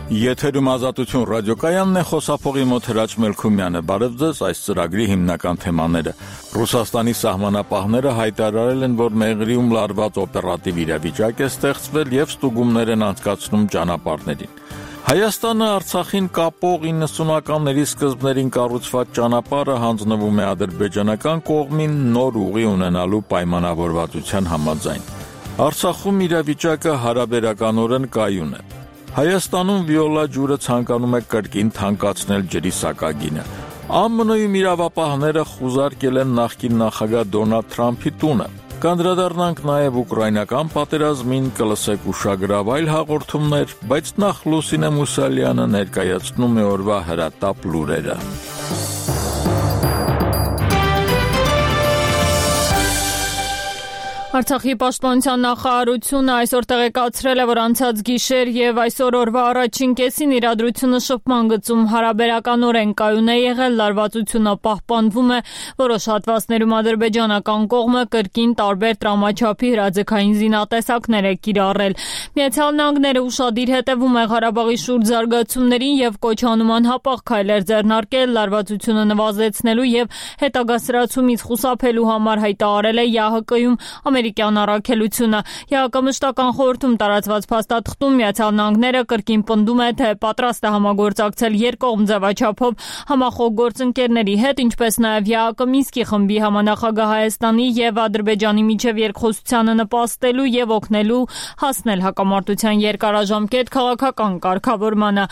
Եթերում Ազատություն ռադիոկայանն է, խոսափողի մոտ Հրաչ Մելքումյանը։ Բարև ձեզ, այս ծրագրի հիմնական թեմաները։ Ռուսաստանի սահմանապահները հայտարարել են, որ Մեղրիում լարված օպերատիվ իրավիճակ է ստեղծվել եւ ստուգումներ են անցկացնում ճանապարհներին։ Հայաստանը Արցախին կապող 90-ականների սկզբներին կառուցված ճանապարհը հանձնվում է ադրբեջանական կողմին նոր ուղի ունենալու պայմանավորվածության համաձայն։ Արցախում իրավիճակը հարաբերականորեն կայուն է։ Հայաստանում վիոլա ջուրը ցանկանում է կրկին թանկացնել ջրի սակագինը։ ԱՄՆ-ում իրավապահները խուզարկել են նախկին նախագահ Դոնալդ Թրամփի տունը։ Կանդրադառնանք նաև ուկրաինական պատերազմին, կլսեք ուշագրավ այլ հաղորդումներ, բայց նախ Լուսինե Մուսալյանը ներկայացնում է օրվա հրատապ լուրերը։ Արցախի պաշտպանության նախարարությունը այսօր տեղեկացրել է, որ անցած գիշեր եւ այսօր օրվա առաջին կեսին իրադրությունը շփման գծում հարաբերականորեն կայուն է եղել, լարվածությունը պահպանվում է, որոշ հատվածներում ադրբեջանական կողմը կրկին տարբեր տրամաչափի հրաձգային զինատեսակներ է կիրառել։ Միացյալ Նահանգները ուշադիր հետևում է Ղարաբաղի շուրջ զարգացումներին եւ կոչ անում անհապաղ քայլեր ձեռնարկել լարվածությունը նվազեցնելու եւ հետագա սրացումից խուսափելու համար, հայտարարել է ՀՀԿ-ում ամերիկյան առաքելությունը։ ՀՀԿ մշտական խորհրդում տարածված փաստաթղթում Միացյալ Նահանգները կրկին պնդում է, թե պատրաստ է համագործակցել երկկողմ ձևաչափով համախոհ գործընկերների հետ, ինչպես նաև ՀՀԿ Մինսկի խմբի համանախագահ Հայաստանի եւ Ադրբեջանի միջև երկխոսությանը նպաստելու եւ օգնելու հասնել հակամարտության երկարաժամկետ քաղաքական կարգավորմանը։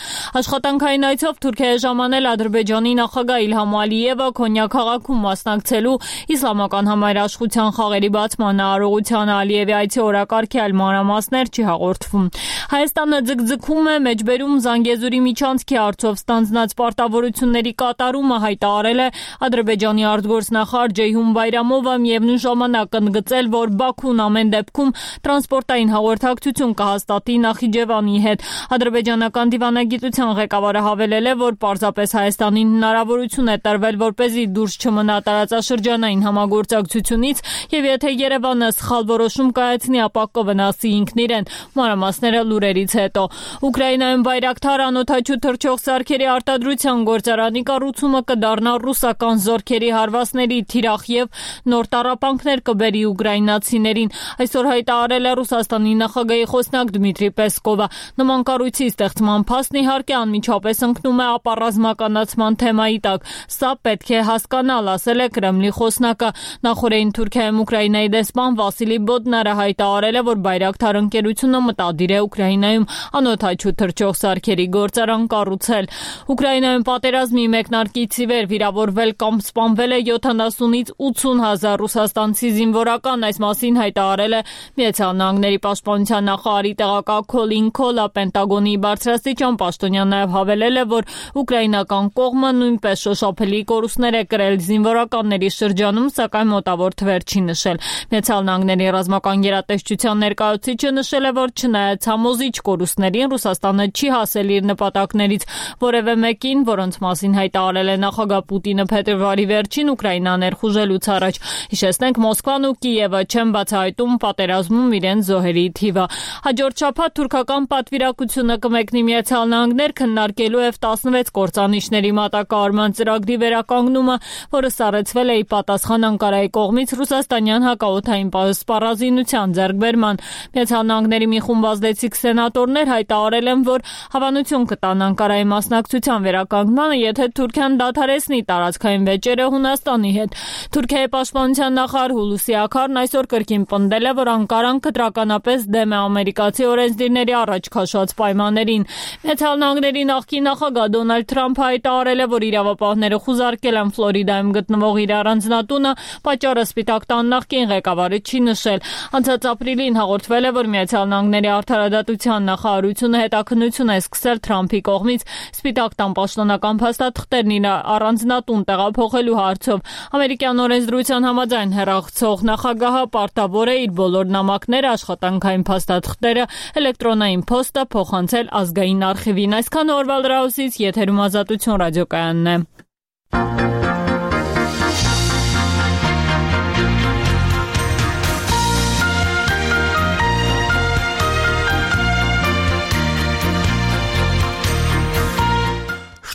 Աշխատանքային այցով Թուրքիա է ժամանել Ադրբեջանի նախագահ Իլհամ Ալիևը Քոնյա քաղաքում մասնակցելու իսլամական համայրաշխության խաղերի բացմանը։ Արարողության Ալիևի այցի օրակարգի այլ մանրամասներ չի հաղորդվում։ Հայաստանը ձգձգում է մեջբերում Զանգեզուրի միջանցքի հարցով ստանձնած պարտավորությունների կատարումը, հայտարարել է Ադրբեջանի արտգործնախարար Ջեյհուն Բայրամովը, միևնույն ժամանակ ընդգծել, որ Բաքուն ամեն դեպքում տրանսպորտային հաղորդակցություն կհաստատի Նախիջևանի հետ։ Ադրբեջանական դիվանագիտության ղեկավարը հավելել է, որ պարզապես Հայաստանին հնարավորություն է տրվել, որպեսզի դուրս չմնա տարածաշրջանային համագործակցությունից եւ եթե Երևանը սխալ որոշում կայացնի, ապա կվնասի ինքն իրեն։ Մանրամասները լուրերից հետո։ Ուկրաինայում Բայրակթար անօդաչու թռչող սարքերի արտադրության գործարանի կառուցումը կդառնա ռուսական զորքերի հարվածների թիրախ եւ նոր տառապանքներ կբերի ուկրաինացիներին։ Այսօր հայտարարել է Ռուսաստանի նախագահի խոսնակ Դմիտրի Պեսկովը։ Նման կառույցի ստեղծման փաստն իհարկե անմիջապես ընկնում է ապառազմականացման թեմայի տակ։ Սա պետք է հասկանալ, ասել է Կրեմլի խոսնակը։ Նախորդին Թուրքիայում Ուկրաինայի դեսպան Վասիլի Բոդնարը հայտարարել է, որ Բայրակթար ընկերությունը մտադիր է Ուկրաինայում անօդաչու թռչող սարքերի գործարան կառուցել։ Ուկրաինայում պատերազմի մեկնարկից ի վեր վիրավորվել կամ սպանվել է 70-ից 80 հազար ռուսաստանցի զինվորական, այս մասին հայտարարել է Միացյալ Նահանգների պաշտպանության նախարարի տեղակալ Քոլին Քոլը։ Պենտագոնի բարձրաստիճան պաշտոնյան նաև հավելել է, որ ուկրաինական կողմը նույնպես շոշափելի կորուստներ է կրել զինվորականների շրջանում, սակայն մոտավոր թվեր չի նշել։ Միացյալ Նահանգների ռազմական գերատեսչության ներկայացուցիչը նշել է, որ չնայած համոզիչ կորուստներին, Ռուսաստանը չի հասել իր նպատակներից որևէ մեկին, որոնց մասին հայտարարել է նախագահ Պուտինը փետրվարի վերջին Ուկրաինա ներխուժելուց առաջ։ Հիշեցնենք, Մոսկվան ու Կիևը չեն բացահայտում պատերազմում իրենց զոհերի թիվը։ Հաջորդ շաբաթ թուրքական պատվիրակությունը կմեկնի Միացյալ Նահանգներ քննարկելու F-16 կործանիչների մատակարարման ծրագրի վերականգնումը, որը սառեցվել է ի պատասխան Անկարայի կողմից ռուսաստանյան հակաօդային սպառազինության ձեռքբերման։ Միացյալ Նահանգների մի խումբ ազդեցիկ սենատորներ հայտարարել են, որ հավանություն կտան Անկարայի մասնակցության վերականգնմանը, եթե Թուրքիան դադարեցնի տարածքային վեճերը Հունաստանի հետ։ Թուրքիայի պաշտպանության նախարար Հուլուսի Աքարն այսօր կրկին պնդել է, որ Անկարան կտրականապես դեմ է ամերիկացի օրենսդիրների առաջ քաշված պայմաններին։ Միացյալ Նահանգների նախկին նախագահ Դոնալդ Թրամփը հայտարարել է, որ իրավապահները խուզարկել են Ֆլորիդայում գտնվող իր առանձնատունը, պատճառը Սպիտակ տան նախկին ղեկավարը չի նշել։ Անցած ապրիլին հաղորդվել է, որ Միացյալ Նահանգների արդարադատության նախարարությունը հետաքննություն է սկսել Թրամփի կողմից Սպիտակ տան պաշտոնական փաստաթղթերն իր առանձնատուն տեղափոխելու հարցով։ Ամերիկյան օրենսդրության համաձայն հեռացող նախագահը պարտավոր է իր բոլոր նամակները, աշխատանքային փաստաթղթերը, էլեկտրոնային փոստը փոխանցել ազգային արխիվին։ Այսքան օրվա լրահոսից եթերում Ազատություն ռադիոկայանն է։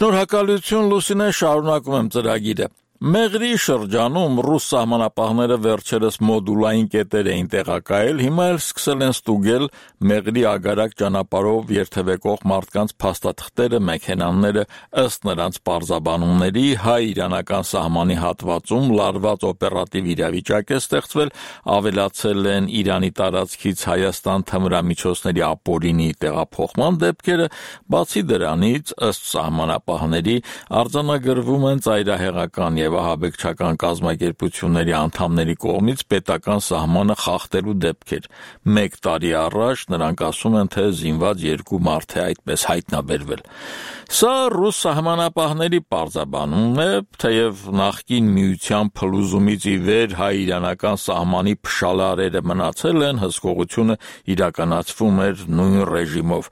Շնորհակալություն Լուսինե, շարունակում եմ ծրագիրը։ Մեղրի շրջանում ռուս սահմանապահները վերջերս մոդուլային կետեր էին տեղակայել, հիմա էլ սկսել են ստուգել մեղրի ագարակ ճանապարհով երթևեկող մարդկանց փաստաթղթերը, մեքենաները, ըստ նրանց պարզաբանումների հայ-իրանական սահմանի հատվածում լարված օպերատիվ իրավիճակ է ստեղծվել, ավելացել են Իրանի տարածքից Հայաստան թմրամիջոցների ապօրինի տեղափոխման դեպքերը, բացի դրանից, ըստ սահմանապահների, արձանագրվում են ծայրահեղական եւ ահաբեկչական կազմակերպությունների անդամների կողմից պետական սահմանը խախտելու դեպքեր։ 1 տարի առաջ նրանք ասում են, թե զինված 2 մարդ է այդպես հայտնաբերվել։ Սա ռուս սահմանապահների պարզաբանումն է, թեև նախկին միության փլուզումից ի վեր հայ-իրանական սահմանի փշալարերը մնացել են, հսկողությունը իրականացվում էր նույն ռեժիմով։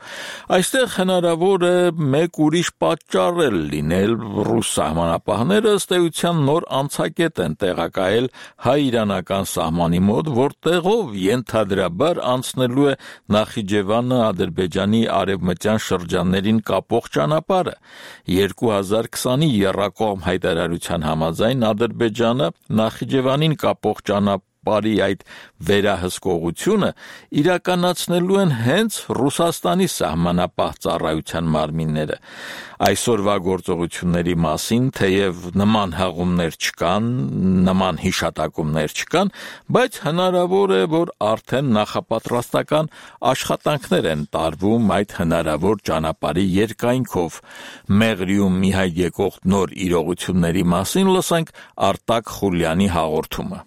Այստեղ հնարավոր է մեկ ուրիշ պատճառ էլ լինել, ռուս սահմանապահները ըստ էության նոր անցակետ են տեղակայել հայ-իրանական սահմանի մոտ, որտեղով ենթադրաբար անցնելու է Նախիջևանը Ադրբեջանի արևմտյան շրջաններին կապող ճանապարհը։ 2020-ի եռակողմ հայտարարության համաձայն Ադրբեջանը Նախիջևանին կապող ճանապարհի այդ վերահսկողությունը իրականացնելու են հենց Ռուսաստանի սահմանապահ ծառայության մարմինները։ Այսօրվա գործողությունների մասին, թեև նման հղումներ չկան, նման հիշատակումներ չկան, բայց հնարավոր է, որ արդեն նախապատրաստական աշխատանքներ են տարվում այդ հնարավոր ճանապարհի երկայնքով։ Մեղրիում մի հայտ եկող նոր իրողությունների մասին լսենք Արտակ Խուլյանի հաղորդումը։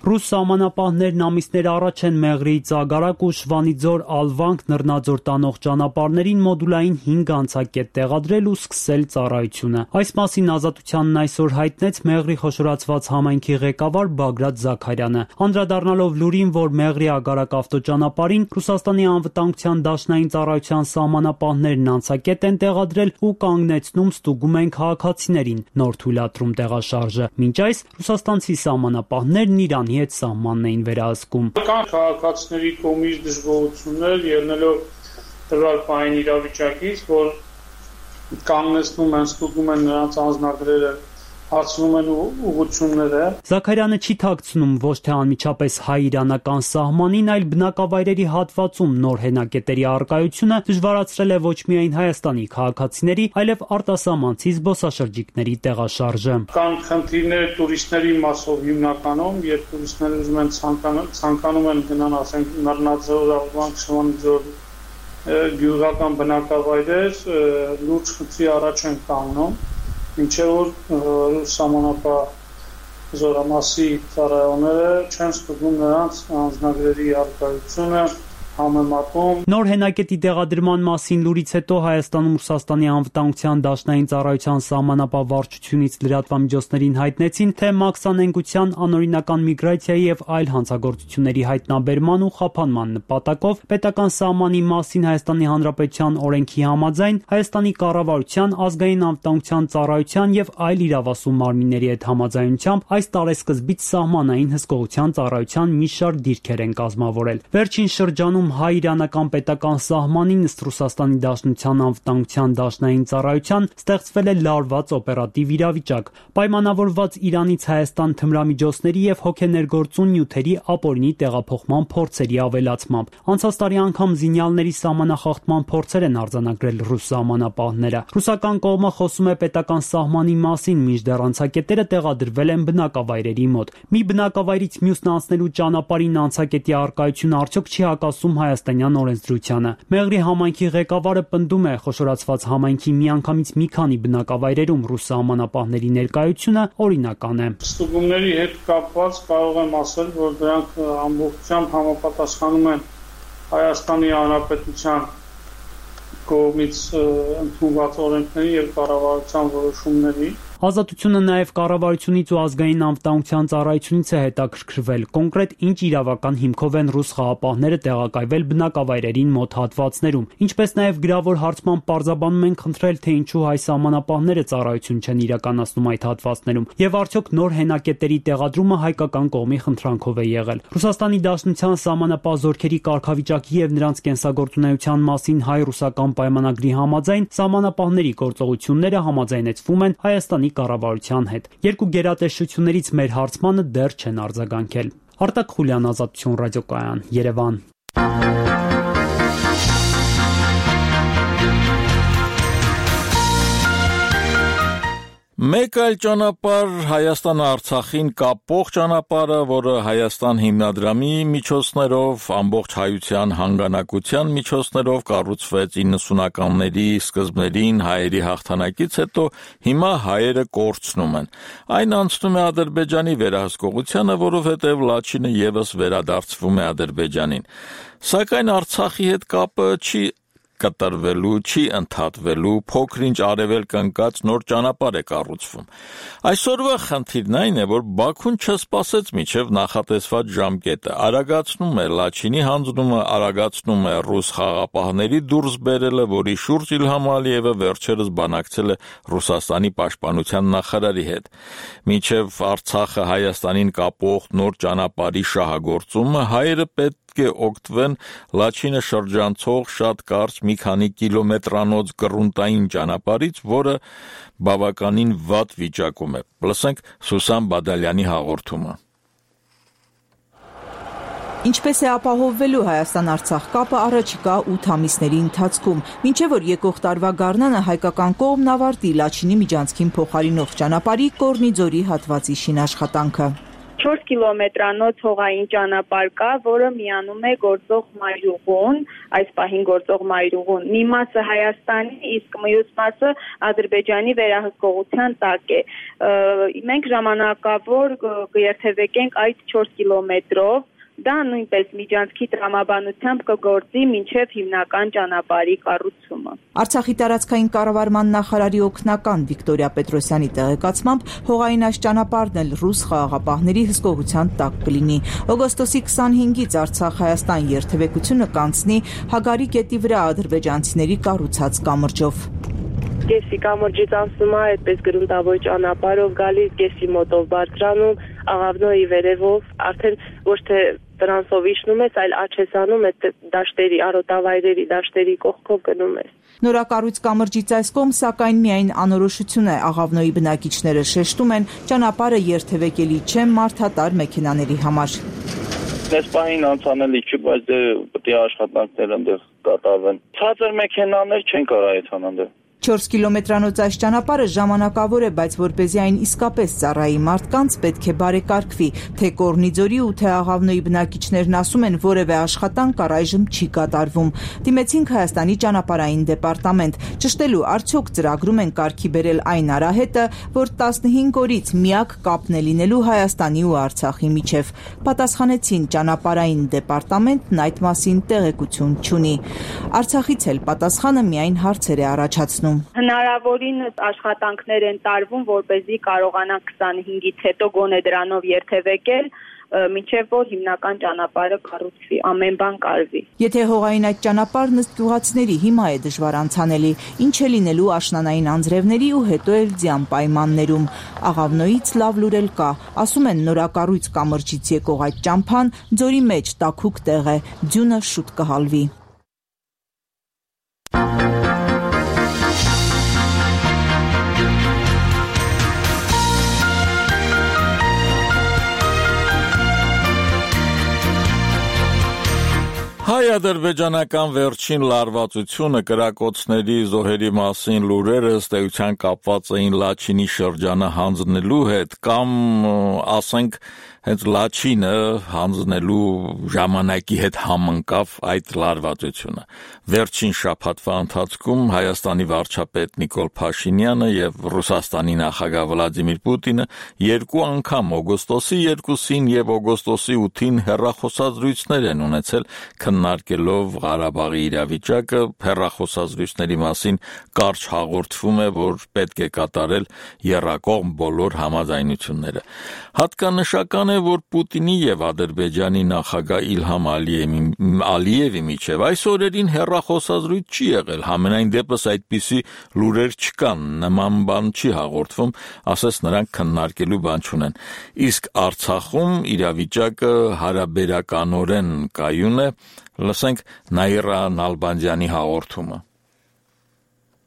Ռուս սահմանապահներն ամիսներ առաջ են Մեղրիից Ագարակ ու Շվանիձոր Ալվանք նռնաձոր տանող ճանապարհներին մոդուլային 5 անցակետ տեղադրել ու սկսել ծառայությունը։ Այս մասին Ազատությանն այսօր հայտնեց Մեղրի խոշորացված համայնքի ղեկավար Բագրատ Զաքարյանը։ Անդրադառնալով լուրին, որ Մեղրի Ագարակ ավտոճանապարհին Ռուսաստանի անվտանգության դաշնային ծառայության սահմանապահներն անցակետ են տեղադրել ու կանգնեցնում ստուգում են քաղաքացիներին, նոր թույլատրում տեղաշարժը։ Մինչ այս ռուսաստանցի սահմանապահներն Իրանի հետ սահմանն էին վերահսկում։ Կան քաղաքացիների կողմից դժգոհություններ ելնելով տվյալ պահին իրավիճակից, որ կանգնեցնում են, ստուգում են նրանց անձնագրերը, հարցնում են ուղղությունները։ Զաքարյանը չի թաքցնում ոչ թե անմիջապես հայ-իրանական սահմանին, այլ բնակավայրերի հատվածում նոր հենակետերի առկայությունը դժվարացրել է ոչ միայն Հայաստանի քաղաքացիների, այլև արտասահմանցի զբոսաշրջիկների տեղաշարժը։ Կան խնդիրներ տուրիստների մասով հիմնականում, երբ տուրիստները ուզում են ցանկանում են գնան, ասենք Նռնաձոր, Ալվանք, Շվանիձոր գյուղական բնակավայրեր, լուրջ խնդրի առաջ են կանգնում, մինչև որ ռուս սահմանապահ զորամասի ծառայողները չեն ստուգում նրանց անձնագրերի առկայությունը, համեմատում։ Նոր հենակետի տեղադրման մասին լուրից հետո Հայաստանում Ռուսաստանի անվտանգության դաշնային ծառայության սահմանապահ վարչությունից լրատվամիջոցներին հայտնեցին, թե մաքսանենգության, անօրինական միգրացիայի եւ այլ հանցագործությունների հայտնաբերման ու խափանման նպատակով պետական սահմանի մասին Հայաստանի Հանրապետության օրենքի համաձայն Հայաստանի կառավարության, ազգային անվտանգության ծառայության եւ այլ իրավասու մարմինների հետ համաձայնությամբ այս տարեսկզբից սահմանային հսկողության ծառայության մի շարք դիրքեր են կազմավորել։ Վերջին շրջանում հայ-իրանական պետական սահմանին ըստ Ռուսաստանի Դաշնության անվտանգության դաշնային ծառայության ստեղծվել է լարված օպերատիվ իրավիճակ, պայմանավորված Իրանից Հայաստան թմրամիջոցների եւ հոգեներգործուն նյութերի ապօրինի տեղափոխման փորձերի ավելացմամբ։ Անցած տարի անգամ զինյալների սահմանախախտման փորձեր են արձանագրել ռուս սահմանապահները։ Ռուսական կողմը խոսում է պետական սահմանի մասին, մինչդեռ անցակետերը տեղադրվել են բնակավայրերի մոտ։ Մի բնակավայրից մյուսն անցնելու ճանապարհին անցակետի առկայությունը արդյոք չի հակասում հայաստանյան օրենսդրությանը։ Մեղրի համայնքի ղեկավարը պնդում է, խոշորացված համայնքի միանգամից մի քանի բնակավայրերում ռուս սահմանապահների ներկայությունը օրինական է։ Ստուգումների հետ կապված կարող եմ ասել, որ դրանք ամբողջությամբ համապատասխանում են Հայաստանի Հանրապետության կողմից ընդունված օրենքների եւ կառավարության որոշումների։ Ազատությունը նաև կառավարությունից ու ազգային անվտանգության ծառայությունից է հետաքրքրվել, կոնկրետ ինչ իրավական հիմքով են ռուս խաղապահները տեղակայվել բնակավայրերին մոտ հատվածներում, ինչպես նաև գրավոր հարցման պարզաբանում են խնդրել, թե ինչու հայ սահմանապահները ծառայություն չեն իրականացնում այդ հատվածներում, եւ արդյոք նոր հենակետերի տեղադրումը հայկական կողմի խնդրանքով է եղել։ Ռուսաստանի Դաշնության սահմանապահ զորքերի կարգավիճակի եւ նրանց կենսագործունեության մասին հայ-ռուսական պայմանագրի համաձայն սահմանապահների գործողությունները համաձայնեցվում են Հայաստանի կառավարության հետ։ Երկու գերատեսչություններից մեր հարցմանը դեռ չեն արձագանքել։ Արտակ Խուլյան, Ազատություն ռադիոկայան, Երևան։ Մեկ այլ ճանապարհ Հայաստան-Արցախին կապող ճանապարհը, որը Հայաստան հիմնադրամի միջոցներով, ամբողջ հայության հանգանակության միջոցներով կառուցվեց 90-ականների սկզբներին հայերի հաղթանակից հետո, հիմա հայերը կորցնում են։ Այն անցնում է Ադրբեջանի վերահսկողությանը, որովհետև Լաչինը ևս վերադարձվում է Ադրբեջանին։ Սակայն Արցախի հետ կապը չի կտրվելու, չի ընդհատվելու, փոքր-ինչ արևելք ընկած նոր ճանապարհ է կառուցվում։ Այսօրվա խնդիրն այն է, որ Բաքուն չսպասեց մինչև նախատեսված ժամկետը, արագացնում է Լաչինի հանձնումը, արագացնում է ռուս խաղապահների դուրս բերելը, որի շուրջ Իլհամ Ալիևը վերջերս բանակցել է Ռուսաստանի պաշտպանության նախարարի հետ։ Մինչև Արցախը Հայաստանին կապող նոր ճանապարհի շահագործումը հայերը պետք է օգտվեն Լաչինը շրջանցող շատ կարճ մի քանի կիլոմետրանոց գրունտային ճանապարհից, որը բավականին վատ վիճակում է։ Լսենք Սուսան Բադալյանի հաղորդումը։ Ինչպես է ապահովվելու Հայաստան-Արցախ կապը առաջիկա 8 ամիսների ընթացքում, մինչև որ եկող տարվա գարնանը հայկական կողմն ավարտի Լաչինի միջանցքին փոխարինող ճանապարհի Կորնիձորի հատվածի շինաշխատանքը։ 4 կիլոմետրանոց հողային ճանապարհ կա, որը միանում է գործող Մայրուղուն, այս պահին գործող Մայրուղուն։ Մի մասը Հայաստանի, իսկ մյուս մասը Ադրբեջանի վերահսկողության տակ է։ Մենք ժամանակավոր կերթևեկենք այդ 4 կիլոմետրով, դա նույնպես միջանցքի տրամաբանությամբ կգործի մինչև հիմնական ճանապարհի կառուցումը։ Արցախի տարածքային կառավարման նախարարի օգնական Վիկտորիա Պետրոսյանի տեղեկացմամբ հողային այս ճանապարհն էլ ռուս խաղաղապահների հսկողության տակ կլինի։ Օգոստոսի 25-ից Արցախ-Հայաստան երթևեկությունը կանցնի Հագարի գետի վրա ադրբեջանցիների կառուցած կամրջով։ Կեսի կամրջից անցնում է այդպես գրունտավոր ճանապարհով գալիս, կեսի մոտով բարձրանում, աղավնոյի վերևով, արդեն ոչ թե տրանսով իջնում ես, այլ աչք ես անում, այդ դաշտերի, արոտավայրերի դաշտերի կողքով գնում ես։ Նորակառույց կամրջից այս կողմ, սակայն միայն անորոշություն է, աղավնոյի բնակիչները շեշտում են, ճանապարհը երթևեկելի չէ մարդատար մեքենաների համար։ Այս պահին անցանելի չի, բայց պետք է աշխատանքներ այնտեղ կատարվեն։ Ցածր մեքենաներ չեն կարող այդքան այնտեղ։ 4 կիլոմետրանոց այս ճանապարհը ժամանակավոր է, բայց որպեսզի այն իսկապես ծառայի մարդկանց, պետք է բարեկարգվի, թե Կորնիձորի ու թե Աղավնոյի բնակիչներն ասում են, որևէ աշխատանք առայժմ չի կատարվում։ Դիմեցինք Հայաստանի ճանապարհային դեպարտամենտ, ճշտելու արդյոք ծրագրում են կարգի բերել այն արահետը, որ 15 օրից միակ կապն է լինելու Հայաստանի ու Արցախի միջև։ Պատասխանեցին, ճանապարհային դեպարտամենտն այդ մասին տեղեկություն չունի։ Արցախից էլ պատասխանը միայն հարցեր է առաջացնում։ Հնարավորին աշխատանքներ են տարվում, որպեսզի կարողանանք 25-ից հետո գոնե դրանով երթևեկել, մինչև որ հիմնական ճանապարհը կառուցվի, ամեն բան կարվի։ Եթե հողային այդ ճանապարհն ըստ գյուղացիների հիմա է դժվար անցանելի, ինչ է լինելու աշնանային անձրևների ու հետո էլ ձյան պայմաններում։ Աղավնոյից լավ լուր էլ կա, ասում են նորակառույց կամրջից եկող այդ ճամփան ձորի մեջ տաքուկ տեղ է, ձյունը շուտ կհալվի։ Հայ-ադրբեջանական վերջին լարվածությունը կրակոցների զոհերի մասին լուրերը ըստ էության կապված էին Լաչինի շրջանը հանձնելու հետ կամ ասենք հենց Լաչինը հանձնելու ժամանակի հետ համընկավ այդ լարվածությունը։ Վերջին շաբաթվա ընթացքում Հայաստանի վարչապետ Նիկոլ Փաշինյանը եւ Ռուսաստանի նախագահ Վլադիմիր Պուտինը երկու անգամ օգոստոսի 2-ին եւ օգոստոսի 8-ին հեռախոսազրույցներ են ունեցել քննարկելով Ղարաբաղի իրավիճակը։ Հեռախոսազրույցների մասին կարճ հաղորդվում է, որ պետք է կատարել եռակողմ բոլոր համաձայնությունները։ Հատկանշական է, որ Պուտինի եւ Ադրբեջանի նախագահ Իլհամ Ալիևի միջև այս օրերին հեռախոսազրույց չի եղել, համենայն դեպս այդպիսի լուրեր չկան, նման բան չի հաղորդվում, ասես նրանք քննարկելու բան չունեն։ Իսկ Արցախում իրավիճակը հարաբերականորեն կայուն է, լսենք Նաիրա Նալբանդյանի հաղորդումը։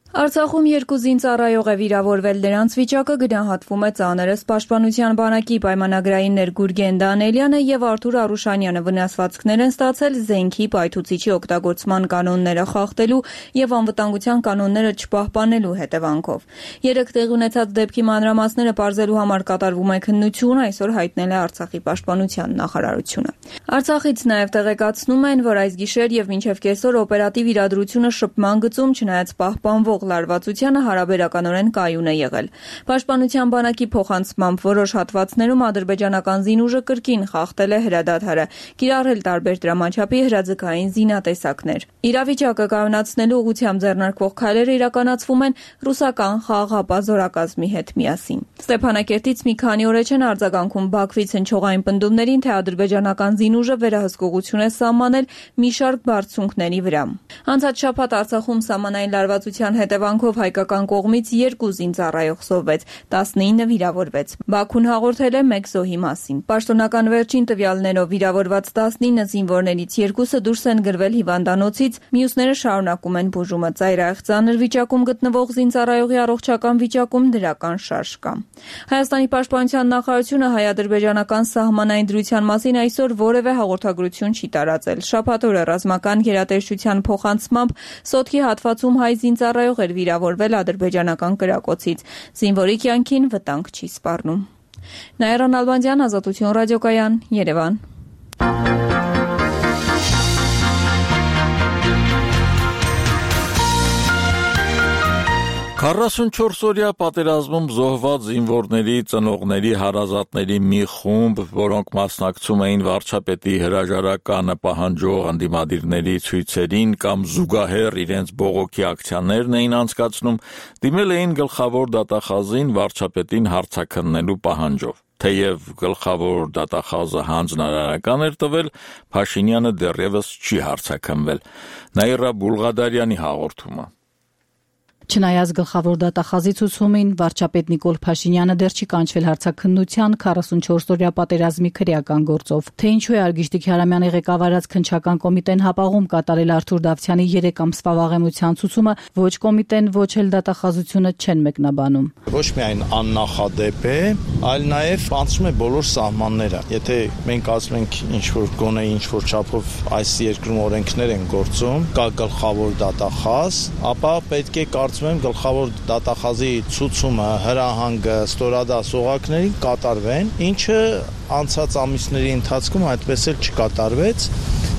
Արցախում 2 զինծառայող է վիրավորվել, դրանց վիճակը գնահատվում է ծանր։ Պաշտպանության բանակի պայմանագրային ներգուր Գեն Դանիելյանը եւ Արթուր Արուշանյանը վնասվածքներ են ստացել զենքի պայթուցիչի օգտագործման կանոնները խախտելու եւ անվտանգության կանոնները չպահպանելու հետևանքով։ 3 տեղի ունեցած դեպքի մանրամասները պարզելու համար կատարվում է քննություն, այսօր հայտնել է Արցախի պաշտպանության նախարարությունը։ Արցախից նաեւ տեղեկացնում են, որ այս գիշեր եւ մինչեւ կեսօր օպերատիվ իրադրությունը շփման գծում չնայած պահպանվող լարվածությանը հարաբերականորեն կայուն է եղել։ Պաշտպանության բանակի փոխանցմամբ որոշ հատվածներում ադրբեջանական զինուժը կրկին խախտել է հրադադարը, կիրառել տարբեր դրամաչափի հրաձգային զինատեսակներ։ Իրավիճակը կայունացնելու ուղղությամբ ձեռնարկվող քայլերը իրականացվում են ռուսական խաղաղապահ զորակազմի հետ միասին։ Ստեփանակերտից մի քանի օր չեն արձագանքում Բաքվից հնչողային պնդումներին, թե ադրբեջանական զինուժը վերահսկողություն է սահմանել մի շարք բարձունքների վրա։ Անցած շաբաթ Արցախում սահմանային լարվածության հետևանքով հայկական կողմից 2 զինծառայող զոհվեց, 19 վիրավորվեց։ Բաքուն հաղորդել է 1 զոհի մասին։ Պաշտոնական վերջին տվյալներով վիրավորված 19 զինվորներից 2-ը դուրս են գրվել հիվանդանոցից, մյուսները շարունակում են բուժումը։ Ծայրահեղ ծանր վիճակում գտնվող զինծառայողի առողջական վիճակում դրական շարժ կա։ Հայաստանի պաշտպանության նախարարությունը հայ-ադրբեջանական սահմանային դրության մասին այսօր որևէ հաղորդագրություն չի տարածել։ Շաբաթ օրը ռազմական գերատեսչության փոխանցմամբ Սոտքի հատվածում հայ զինծառայող էր վիրավորվել ադրբեջանական կրակոցից։ Զինվորի կյանքին վտանգ չի սպառնում։ Նաիրա Նալբանդյան, Ազատություն ռադիոկայան, Երևան։ 44-օրյա պատերազմում զոհված զինվորների ծնողների հարազատների մի խումբ, որոնք մասնակցում էին վարչապետի հրաժարականը պահանջող ընդդիմադիրների ցույցերին կամ զուգահեռ իրենց բողոքի ակցիաներն էին անցկացնում, դիմել էին գլխավոր դատախազին վարչապետին հարցաքննելու պահանջով։ Թեև գլխավոր դատախազը հանձնարարական էր տվել, Փաշինյանը դեռևս չի հարցաքննվել։ Նաիրա Բուլղադարյանի հաղորդումը։ Չնայած գլխավոր դատախազի ցուցումին, վարչապետ Նիկոլ Փաշինյանը դեռ չի կանչվել հարցաքննության 44-օրյա պատերազմի քրեական գործով։ Թե ինչու է Արգիշտիկ Հարամյանի ղեկավարած քննչական կոմիտեն հապաղում կատարել Արթուր Դավթյանի 3 ամսվա վաղեմության ցուցումը, ոչ կոմիտեն, ոչ էլ դատախազությունը չեն մեկնաբանում։ Ոչ միայն աննախադեպ է, այլ նաև անցնում է բոլոր սահմանները։ Եթե մենք ասում ենք ինչ-որ գոնե ինչ-որ չափով այս երկրում օրենքներ են գործում, կա գլխավոր դատախազ, ապա պետք է գլխավոր դատախազի ցուցումը, հրահանգը, ստորադաս օղակներին կատարվեն, ինչը անցած ամիսների ընթացքում այդպես էլ չկատարվեց։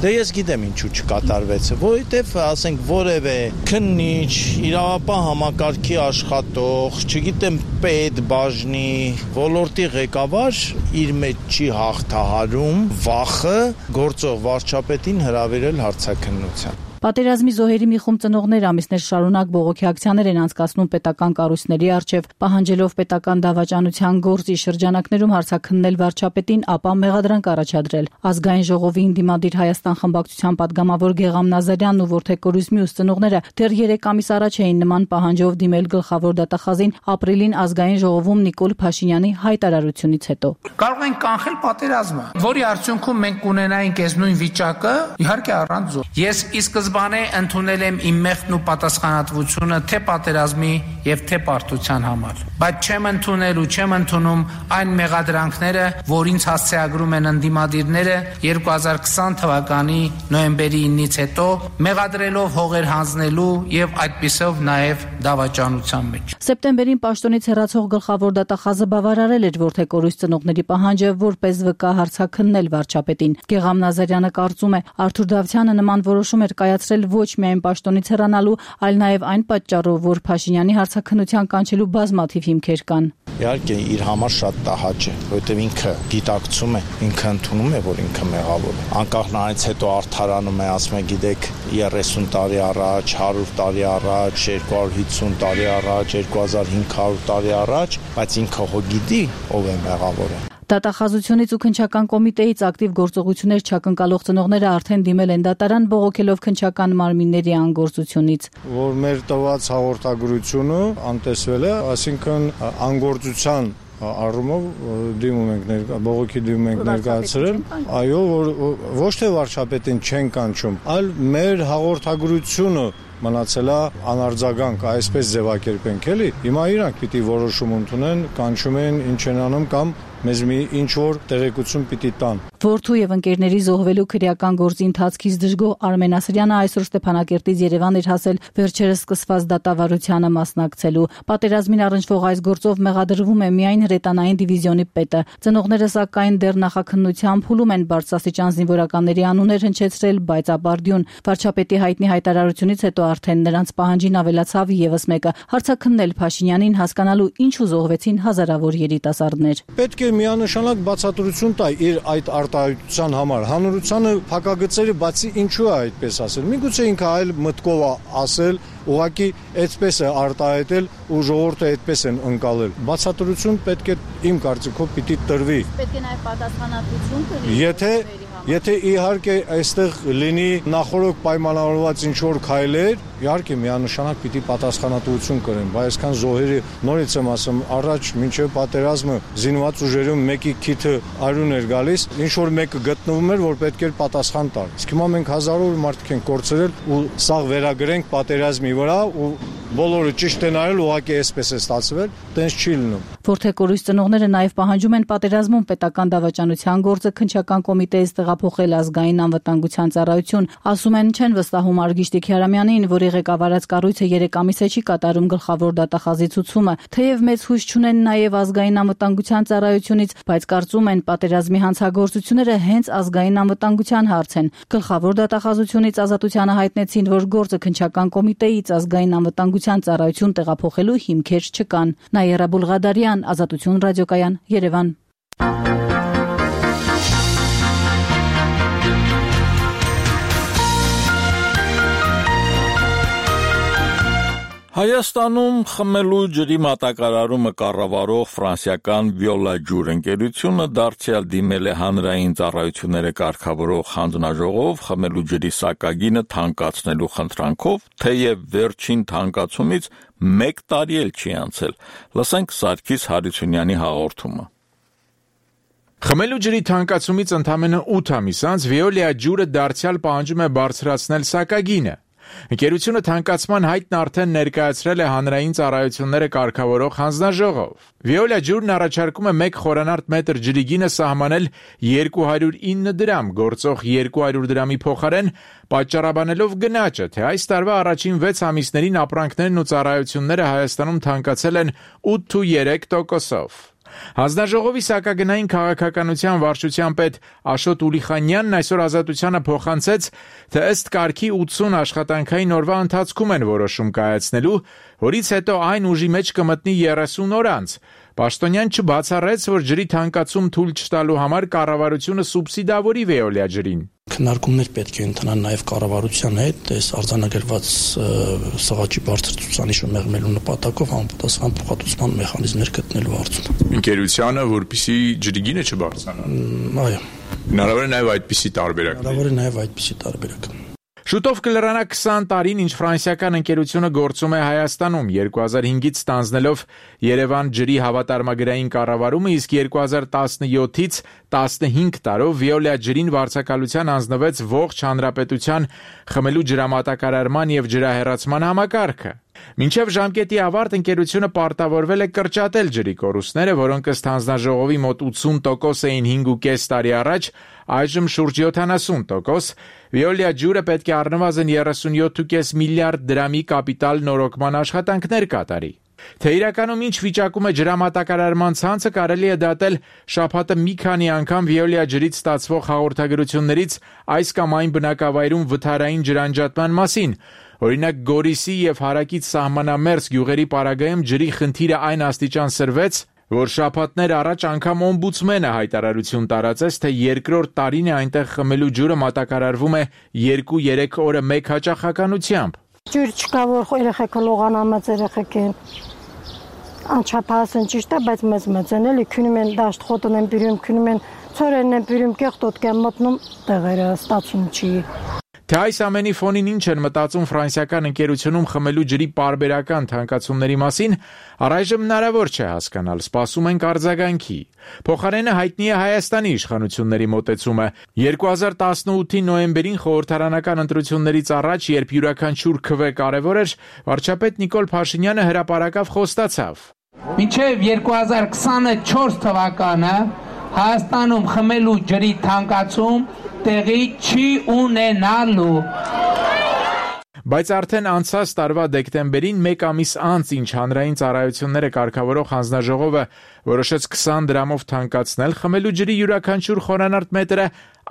Դե ես գիտեմ ինչու չկատարվեց, որովհետև ասենք որևէ քննիչ, իրավապահ համակարգի աշխատող, չգիտեմ պետ, բաժնի, ոլորտի ղեկավար իր մեջ չի հաղթահարում վախը գործող վարչապետին հրավիրել հարցաքննության։ Պատերազմի զոհերի մի խումբ ծնողներ ամիսներ շարունակ բողոքի ակցիաներ են անցկացնում պետական կառույցների առջև, պահանջելով պետական դավաճանության գործի շրջանակներում հարցաքննել վարչապետին, ապա մեղադրանք առաջադրել։ Ազգային ժողովի ընդդիմադիր Հայաստան խմբակցության падգամավոր Գեգամ Նազարյանն ու Որթեկ Կորուզմի ծնողները դեռ 3 ամիս առաջ էին նման պահանջով դիմել գլխավոր դատախազին ապրիլին Ազգային ժողովում Նիկոլ Փաշինյանի հայտարարությունից հետո։ Կարող ենք կանխել պատերազմը, որի արդյունքում մենք կունենայինք այս նույն վիճակը, իհարկե առանց զոհ։ Ես ի սկզբանե ընդունել եմ իմ մեղքն ու պատասխանատվությունը թե պատերազմի եւ թե պարտության համար, բայց չեմ ընդունել ու չեմ ընդունում այն մեղադրանքները, որ ինձ հասցեագրում են ընդդիմադիրները 2020 թվականի նոյեմբերի 9-ից հետո, մեղադրելով հողեր հանձնելու եւ այդպիսով նաեւ դավաճանության մեջ։ Սեպտեմբերին պաշտոնից հեռացող գլխավոր դատախազը բավարարել էր որդեկորույս ծնողների պահանջը որպես վկա հարցաքննել վարչապետին։ Գեգամ Նազարյանը կարծում է, Արթուր Դավթյանը նման որոշում էր կայացրել ոչ միայն պաշտոնից հեռանալու, այլ նաեւ այն պատճառով, որ Փաշինյանի հարցաքննության կանչելու բազմաթիվ հիմքեր կան։ Իհարկե իր համար շատ տհաճ է, որովհետև ինքը գիտակցում է, ինքը ընդունում է, որ ինքը մեղավոր է։ Անկախ նրանից հետո արդարանում է, ասում է, գիտեք, 30 տարի առաջ, 100 տարի առաջ, 250 տարի առաջ, 2500 տարի առաջ, բայց ինքը հո գիտի ով է մեղավորը։ Դատախազությունից ու քննչական կոմիտեից ակտիվ գործողություններ չակնկալող ծնողները արդեն դիմել են դատարան բողոքելով քննչական մարմինների անգործությունից։ Որ մեր տված հաղորդագրությունը անտեսվել է, այսինքն անգործության առումով դիմում ենք բողոքի դիմում ենք ներկայացրել, այո, որ ոչ թե վարչապետին չեն կանչում, այլ մեր հաղորդագրությունը մնացել է անարձագանք, այսպես ձևակերպենք էլի։ Հիմա իրանք պիտի որոշում ընդունեն, կանչում են, ինչ են անում կամ մեզ մի ինչ որ տեղեկություն պիտի տան։ Որդու եւ ընկերների զոհվելու քրեական գործի ընթացքից դժգոհ Արմեն Ասրյանը այսօր Ստեփանակերտից Երևան էր հասել վերջերս սկսված դատավարությանը մասնակցելու։ Պատերազմին առնչվող այս գործով մեղադրվում է միայն հրետանային դիվիզիոնի պետը։ Ծնողները սակայն դեռ նախաքննության փուլում են բարձրաստիճան զինվորականների անուններ հնչեցրել, բայց ապարդյուն վարչապետի հայտնի հայտարարությունից հետո արդեն նրանց պահանջին ավելացավ եւս մեկը՝ հարցաքննել Փաշինյանին հասկանալու ինչու զոհվեցին հազարավոր երիտասարդներ։ Պետք է միանշանակ բացատրություն տա իր այդ արտահայտության համար։ Հանրությանը փակագծերը բացի ինչու է այդպես ասել։ Միգուցե ինքը այլ մտքով է ասել, ուղղակի այդպես է արտահայտել ու ժողովուրդը այդպես են ընկալել։ Բացատրություն պետք է իմ կարծիքով պիտի տրվի։ Պետք է նաև պատասխանատվություն կրի։ Եթե իհարկե այստեղ լինի նախորդ պայմանավորված ինչ-որ քայլեր, իհարկե միանշանակ պիտի պատասխանատվություն կրեն, բայց այսքան զոհերի նորից եմ ասում, առաջ մինչև պատերազմը զինված ուժերում մեկի քիթը արյուն էր գալիս, ինչ-որ մեկը գտնվում էր, որ պետք էր պատասխան տալ։ Իսկ հիմա մենք հազարավոր մարդիկ ենք կորցրել ու սաղ վերագրենք պատերազմի վրա ու բոլորը ճիշտ են արել, ուղղակի այսպես է ստացվել, տենց չի լինում։ Որդեկորույս ծնողները նաև պահանջում են պատերազմում պետական դավաճանության գործը քննչական կոմիտեից տեղափոխել ազգային անվտանգության ծառայություն։ Ասում են, չեն վստահում Արգիշ Տիքիարամյանին, որի ղեկավարած կառույցը 3 ամիս է չի կատարում գլխավոր դատախազի ցուցումը։ Թեև մեծ հույս չունեն նաև ազգային անվտանգության ծառայությունից, բայց կարծում են պատերազմի հանցագործությունները հենց ազգային անվտանգության հարց են։ Գլխավոր դատախազությունից ազատությանը հայտնեցին, որ գործը քննչական կոմիտեից ազգային անվտանգության ծառայություն տեղափոխելու հիմքեր չկան։ Նաիրա Բուլղադարյան, Ազատություն ռադիոկայան, Երևան։ Հայաստանում խմելու ջրի մատակարարումը կառավարող ֆրանսիական Վիոլա ջուր ընկերությունը դարձյալ դիմել է հանրային ծառայությունները կարգավորող հանձնաժողով խմելու ջրի սակագինը թանկացնելու խնդրանքով, թեև վերջին թանկացումից 1 տարի էլ չի անցել։ Լսենք Սարգիս Հարությունյանի հաղորդումը։ Խմելու ջրի թանկացումից ընդամենը 8 ամիս անց Վիոլա ջուրը դարձյալ պահանջում է բարձրացնել սակագինը։ Ընկերությունը թանկացման հայտն արդեն ներկայացրել է հանրային ծառայությունները կարգավորող հանձնաժողով։ Վիոլա ջուրն առաջարկում է 1 խորանարդ մետր ջրի գինը սահմանել 209 դրամ, գործող 200 դրամի փոխարեն, պատճառաբանելով գնաճը, թե այս տարվա առաջին 6 ամիսներին ապրանքներն ու ծառայությունները Հայաստանում թանկացել են 8.3%-ով։ Հանձնաժողովի սակագնային քաղաքականության վարչության պետ Աշոտ Ուլիխանյանն այսօր Ազատությանը փոխանցեց, թե ըստ կարգի 80 աշխատանքային օրվա ընթացքում են որոշում կայացնելու, որից հետո այն ուժի մեջ կմտնի 30 օր անց։ Պաշտոնյան չբացառեց, որ ջրի թանկացում թույլ չտալու համար կառավարությունը սուբսիդավորի Վիոլա ջրին։ Քննարկումներ պետք է ընթանան նաև կառավարության հետ, այս արձանագրված սղաճի բարձր ցուցանիշը մեղմելու նպատակով համապատասխան փոխհատուցման մեխանիզմներ գտնելու հարցում։ Ընկերությանը, որպեսզի ջրի գինը չբարձրանա։ Այո։ Հնարավոր է նաև այդպիսի տարբերակ։ Հնարավոր է նաև այդպիսի տարբերակ։ Շուտով կլրանա 20 տարին, ինչ ֆրանսիական ընկերությունը գործում է Հայաստանում, 2005-ից ստանձնելով Երևան ջրի հավատարմագրային կառավարումը, իսկ 2017-ից 15 տարով Վիոլիա ջրին վարձակալության անձնվեց ողջ հանրապետության խմելու ջրամատակարարման եւ ջրահեռացման համակարգը։ Մինչև ժամկետի ավարտ ընկերությունը պարտավորվել է կրճատել ջրի կորուստները, որոնք ըստ հանձնաժողովի մոտ 80% էին 5.5 տարի առաջ, այժմ շուրջ 70%։ Վիոլիա ջուրը պետք է առնվազն 37.5 միլիարդ դրամի կապիտալ նորոգման աշխատանքներ կատարի։ Թե իրականում ինչ վիճակում է ջրամատակարարման ցանցը, կարելի է դատել շաբաթը մի քանի անգամ Վիոլիա ջրից ստացվող հաղորդագրություններից այս կամ այն բնակավայրում վթարային ջրանջատման մասին։ Օրինակ Գորիսի եւ Հարակից սահմանամերձ գյուղերի պարագայում ջրի խնդիրը այն աստիճան սրվեց, որ շաբաթներ առաջ անգամ օմբուդսմենը հայտարարություն տարածեց, թե երկրորդ տարին է այնտեղ խմելու ջուրը մատակարարվում է 2-3 օրը մեկ հաճախականությամբ։ Ջուր չկա, որ երեխեքը լողանան, մեծ երեխեք են։ Անչափահասն ճիշտ է, բայց մեծ են, էլի քնում են դաշտ խոտն են բերում, քնում են ծորերն են բերում, կեղտոտ կան մտնում տեղերը, ստացում չի։ Թե այս ամենի ֆոնին ինչ են մտածում ֆրանսիական ընկերությունում խմելու ջրի պարբերական թանկացումների մասին, առայժմ հնարավոր չէ հասկանալ, սպասում ենք արձագանքի։ Փոխարենը հայտնի է Հայաստանի իշխանությունների մոտեցումը։ 2018-ի նոյեմբերին խորհրդարանական ընտրություններից առաջ, երբ յուրաքանչյուր քվե կարևոր էր, վարչապետ Նիկոլ Փաշինյանը հրապարակավ խոստացավ. Մինչև 2024 թվականը Հայաստանում խմելու ջրի թանկացում տեղի չի ունենալու։ Բայց արդեն անցած տարվա դեկտեմբերին, մեկ ամիս անց, ինչ հանրային ծառայությունները կարգավորող հանձնաժողովը որոշեց 20 դրամով թանկացնել խմելու ջրի յուրաքանչյուր խորանարդ մետրը,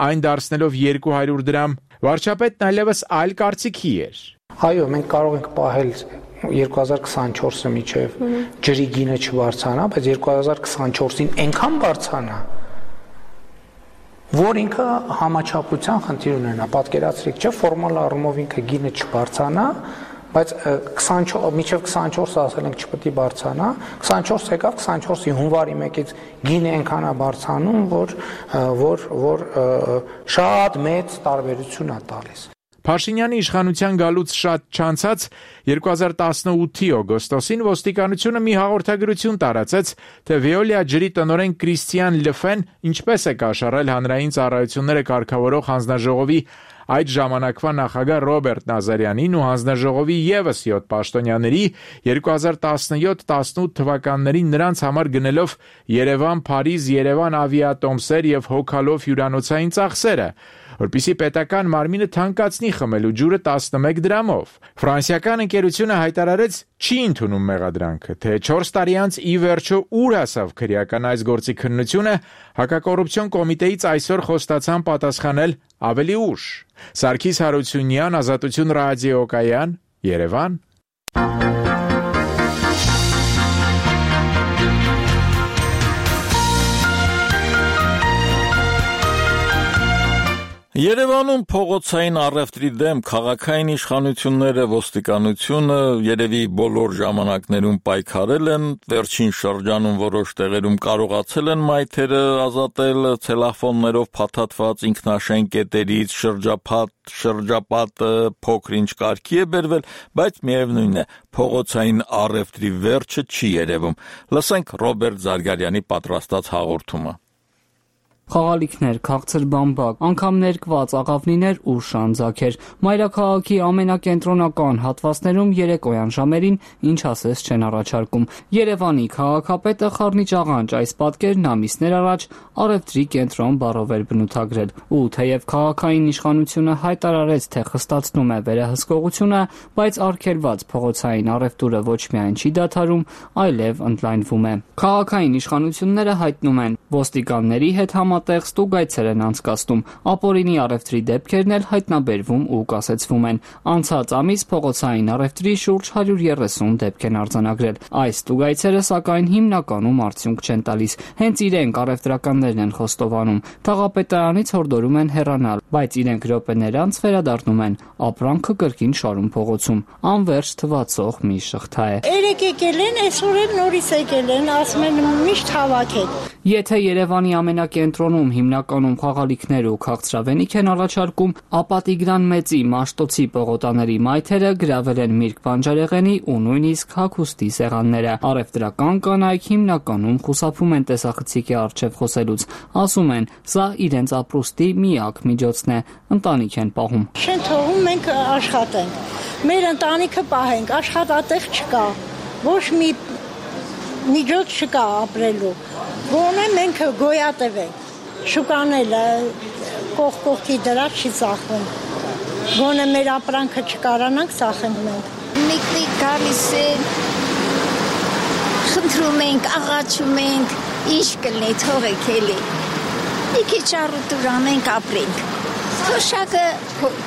այն դարձնելով 200 դրամ, վարչապետն այլևս այլ կարծիքի էր։ Այո, մենք կարող ենք պահել 2024-ը միջև ջրի գինը չբարձրանա, բայց 2024-ին այնքան բարձրանա, որ ինքը համաչափության խնդիր ունենա, պատկերացրեք, չէ, ֆորմալ առումով ինքը գինը չբարձրանա, բայց միջև 24-ը ասել ենք չպետք է բարձրանա, 24 եկավ, 24-ի հունվարի 1-ից գինը այնքան է բարձրանում, որ շատ մեծ տարբերություն է տալիս։ Փաշինյանի իշխանության գալուց շատ չանցած 2018-ի օգոստոսին ոստիկանությունը մի հաղորդագրություն տարածեց, թե Վիոլիա ջրի տնօրեն Կրիստիան Լֆեն ինչպես է կաշառել հանրային ծառայությունները կարգավորող հանձնաժողովի այդ ժամանակվա նախագահ Ռոբերտ Նազարյանին ու հանձնաժողովի եւս 7 պաշտոնյաների 2017-18 թվականներին նրանց համար գնելով Երևան-Փարիզ, Երևան ավիատոմսեր եւ հոգալով հյուրանոցային ծախսերը, որպեսզի պետական մարմինը թանկացնի խմելու ջուրը 11 դրամով։ Ֆրանսիական ընկերությունը հայտարարեց չի ընդունում մեղադրանքը, թե 4 տարի անց ի վերջո ուր հասավ քրեական այս գործի քննությունը, հակակոռուպցիոն կոմիտեից այսօր խոստացան պատասխանել ավելի ուշ։ Սարգիս Հարությունյան, Ազատություն ռադիոկայան, Երևան։ Երևանում փողոցային առևտրի դեմ քաղաքային իշխանությունները, ոստիկանությունը երևի բոլոր ժամանակներում պայքարել են, վերջին շրջանում որոշ տեղերում կարողացել են մայթերը ազատել, ցելոֆաններով փաթաթված ինքնաշեն կետերից շրջապատը փոքր-ինչ կարգի է բերվել, բայց միևնույն է, փողոցային առևտրի վերջը չի երևում։ Լսենք Ռոբերտ Զարգարյանի պատրաստած հաղորդումը։ Խաղալիքներ, քաղցր բամբակ, անգամ ներկված աղավնիներ ու շանձակեր։ Մայրաքաղաքի ամենակենտրոնական հատվածներում երեկոյան ժամերին ինչ ասես չեն առաջարկում։ Երևանի քաղաքապետը Խառնիճ աղանջ այս պատկերն ամիսներ առաջ առևտրի կենտրոն բառով էր բնութագրել։ Ու թեև քաղաքային իշխանությունը հայտարարեց, թե խստացնում է վերահսկողությունը, բայց արգելված փողոցային առևտուրը ոչ միայն չի դադարում, այլև ընդլայնվում է։ Քաղաքային իշխանությունները հայտնում են, ոստիկանների հետ տեղ ստուգայցեր են անցկացնում, ապօրինի առևտրի դեպքերն էլ հայտնաբերվում ու կասեցվում են։ Անցած ամիս փողոցային առևտրի շուրջ 130 դեպք են արձանագրել։ Այս ստուգայցերը սակայն հիմնականում արդյունք չեն տալիս, հենց իրենք առևտրականներն են խոստովանում։ Թաղապետարանից հորդորում են հեռանալ, բայց իրենք րոպեներ անց վերադառնում են, ապրանքը կրկին շարում փողոցում։ Անվերջ թվացող մի շղթա է։ Երեք եկել են, այսօր էլ նորից եկել են, ասում են միշտ հավաքեք։ Եթե Երևանի ամենակենտրոն կենտրոնում հիմնականում խաղալիքներ ու քաղցրավենիք են առաջարկում, ապա Տիգրան Մեծի Մաշտոցի պողոտաների մայթերը գրավել են Միրգ Բանջարեղենի ու նույնիսկ հագուստի սեղանները։ Առևտրական կանայք հիմնականում խուսափում են տեսախցիկի առջև խոսելուց, ասում են, սա իրենց ապրուստի միակ միջոցն է, ընտանիք են պահում։ Չեն թողում մենք աշխատենք, մեր ընտանիքը պահենք, աշխատատեղ չկա, ոչ մի միջոց չկա ապրելու, գոնե մենք գոյատև ենք, շուկանելը կողքի դրած չի ծախվում, գոնե մեր ապրանքը չկարանանք ծախենք մենք։ Մեկնիկ գալիս են, խնդրում ենք, աղաչում ենք, ինչ կլինի թողեք էլի, մի քիչ առուտուր անենք ապրենք։ Թոշակը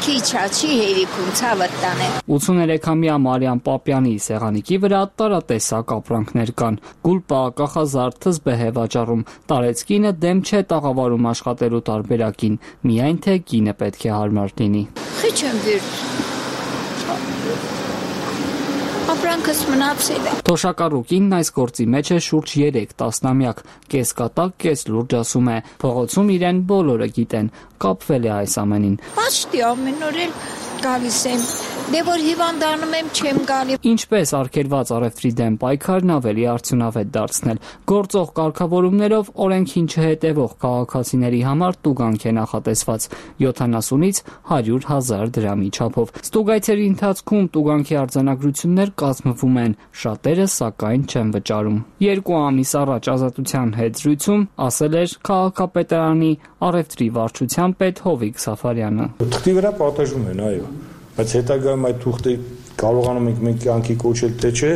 քիչ չի հերիքում ցավդ տանը։ 83-ամյա Մարիամ Պապյանի սեղանիկի վրա տարատեսակ ապրանքներ կան։ Գուլպա, կախազարդ, թզբեհ է վաճառում։ Տարեցկինը դեմ չէ տաղավարում աշխատելու տարբերակին, միայն թե կինը պետք է հարմար լինի։ Խիչեմ վիրտ։ Ապրանքս մնացել է։ Թոշակառուկինն այս գործի մեջ է շուրջ 3 տասնամյակ, կես կատակ, կես լուրջ ասում է, փողոցում իրեն բոլորը գիտեն, կապվել է այս ամենին։ Պաշտի ամեն օր էլ գալիս եմ, դե որ հիվանդանում եմ չեմ գալի։ Ինչպես արգելված առևտրի դեմ պայքարն ավելի արդյունավետ դարձնել։ Գործող կարգավորումներով օրենքին չհետևող քաղաքացիների համար տուգանք է նախատեսված 70-ից 100,000 դրամի չափով։ Ստուգայցերի ընթացքում տուգանքի արձանագրություններ կազմվում են, շատերը սակայն չեն վճարում։ 2 ամիս առաջ Ազատության հետ զրույցում ասել էր քաղաքապետարանի առևտրի վարչության պետ Հովիկ Սաֆարյանը։ Թղթի վրա պատժում են, այո, բայց հետագայում այդ թուղթը կարողանում ենք մենք կյանքի կոչել թե չէ,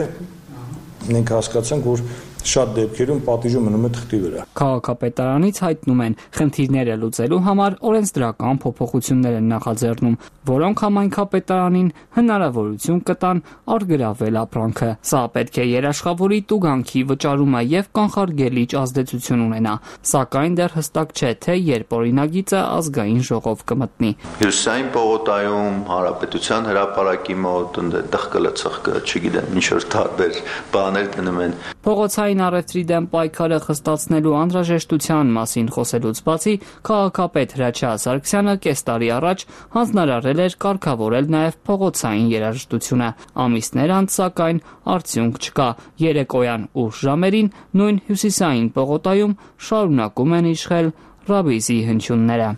մենք հասկացանք, որ շատ դեպքերում պատիժը մնում է թղթի վրա։ Քաղաքապետարանից հայտնում են, խնդիրները լուծելու համար օրենսդրական փոփոխություններ են նախաձեռնում, որոնք համայնքապետարանին հնարավորություն կտան արգելավել ապրանքը։ Սա պետք է երաշխավորի տուգանքի վճարումը եւ կանխարգելիչ ազդեցություն ունենա, սակայն դեռ հստակ չէ, թե երբ օրինագիծը ազգային ժողով կմտնի։ Հյուսային պողոտայում Հանրապետության հրապարակի մոտ դղկը ծխկը, չգիտեմ, ինչ որ տարբեր բաներ դնում են։ Փողոցային առևտրի դեմ պայքարը խստացնելու անհրաժեշտության մասին խոսելուց բացի քաղաքապետ Հրաչյա Սարգսյանը կես տարի առաջ հանձնարարել էր կարգավորել նաև փողոցային երաժշտությունը։ Ամիսներ անց սակայն արդյունք չկա։ Երեկոյան ուշ ժամերին նույն հյուսիսային պողոտայում շարունակում են իշխել ռաբիզի հնչյունները։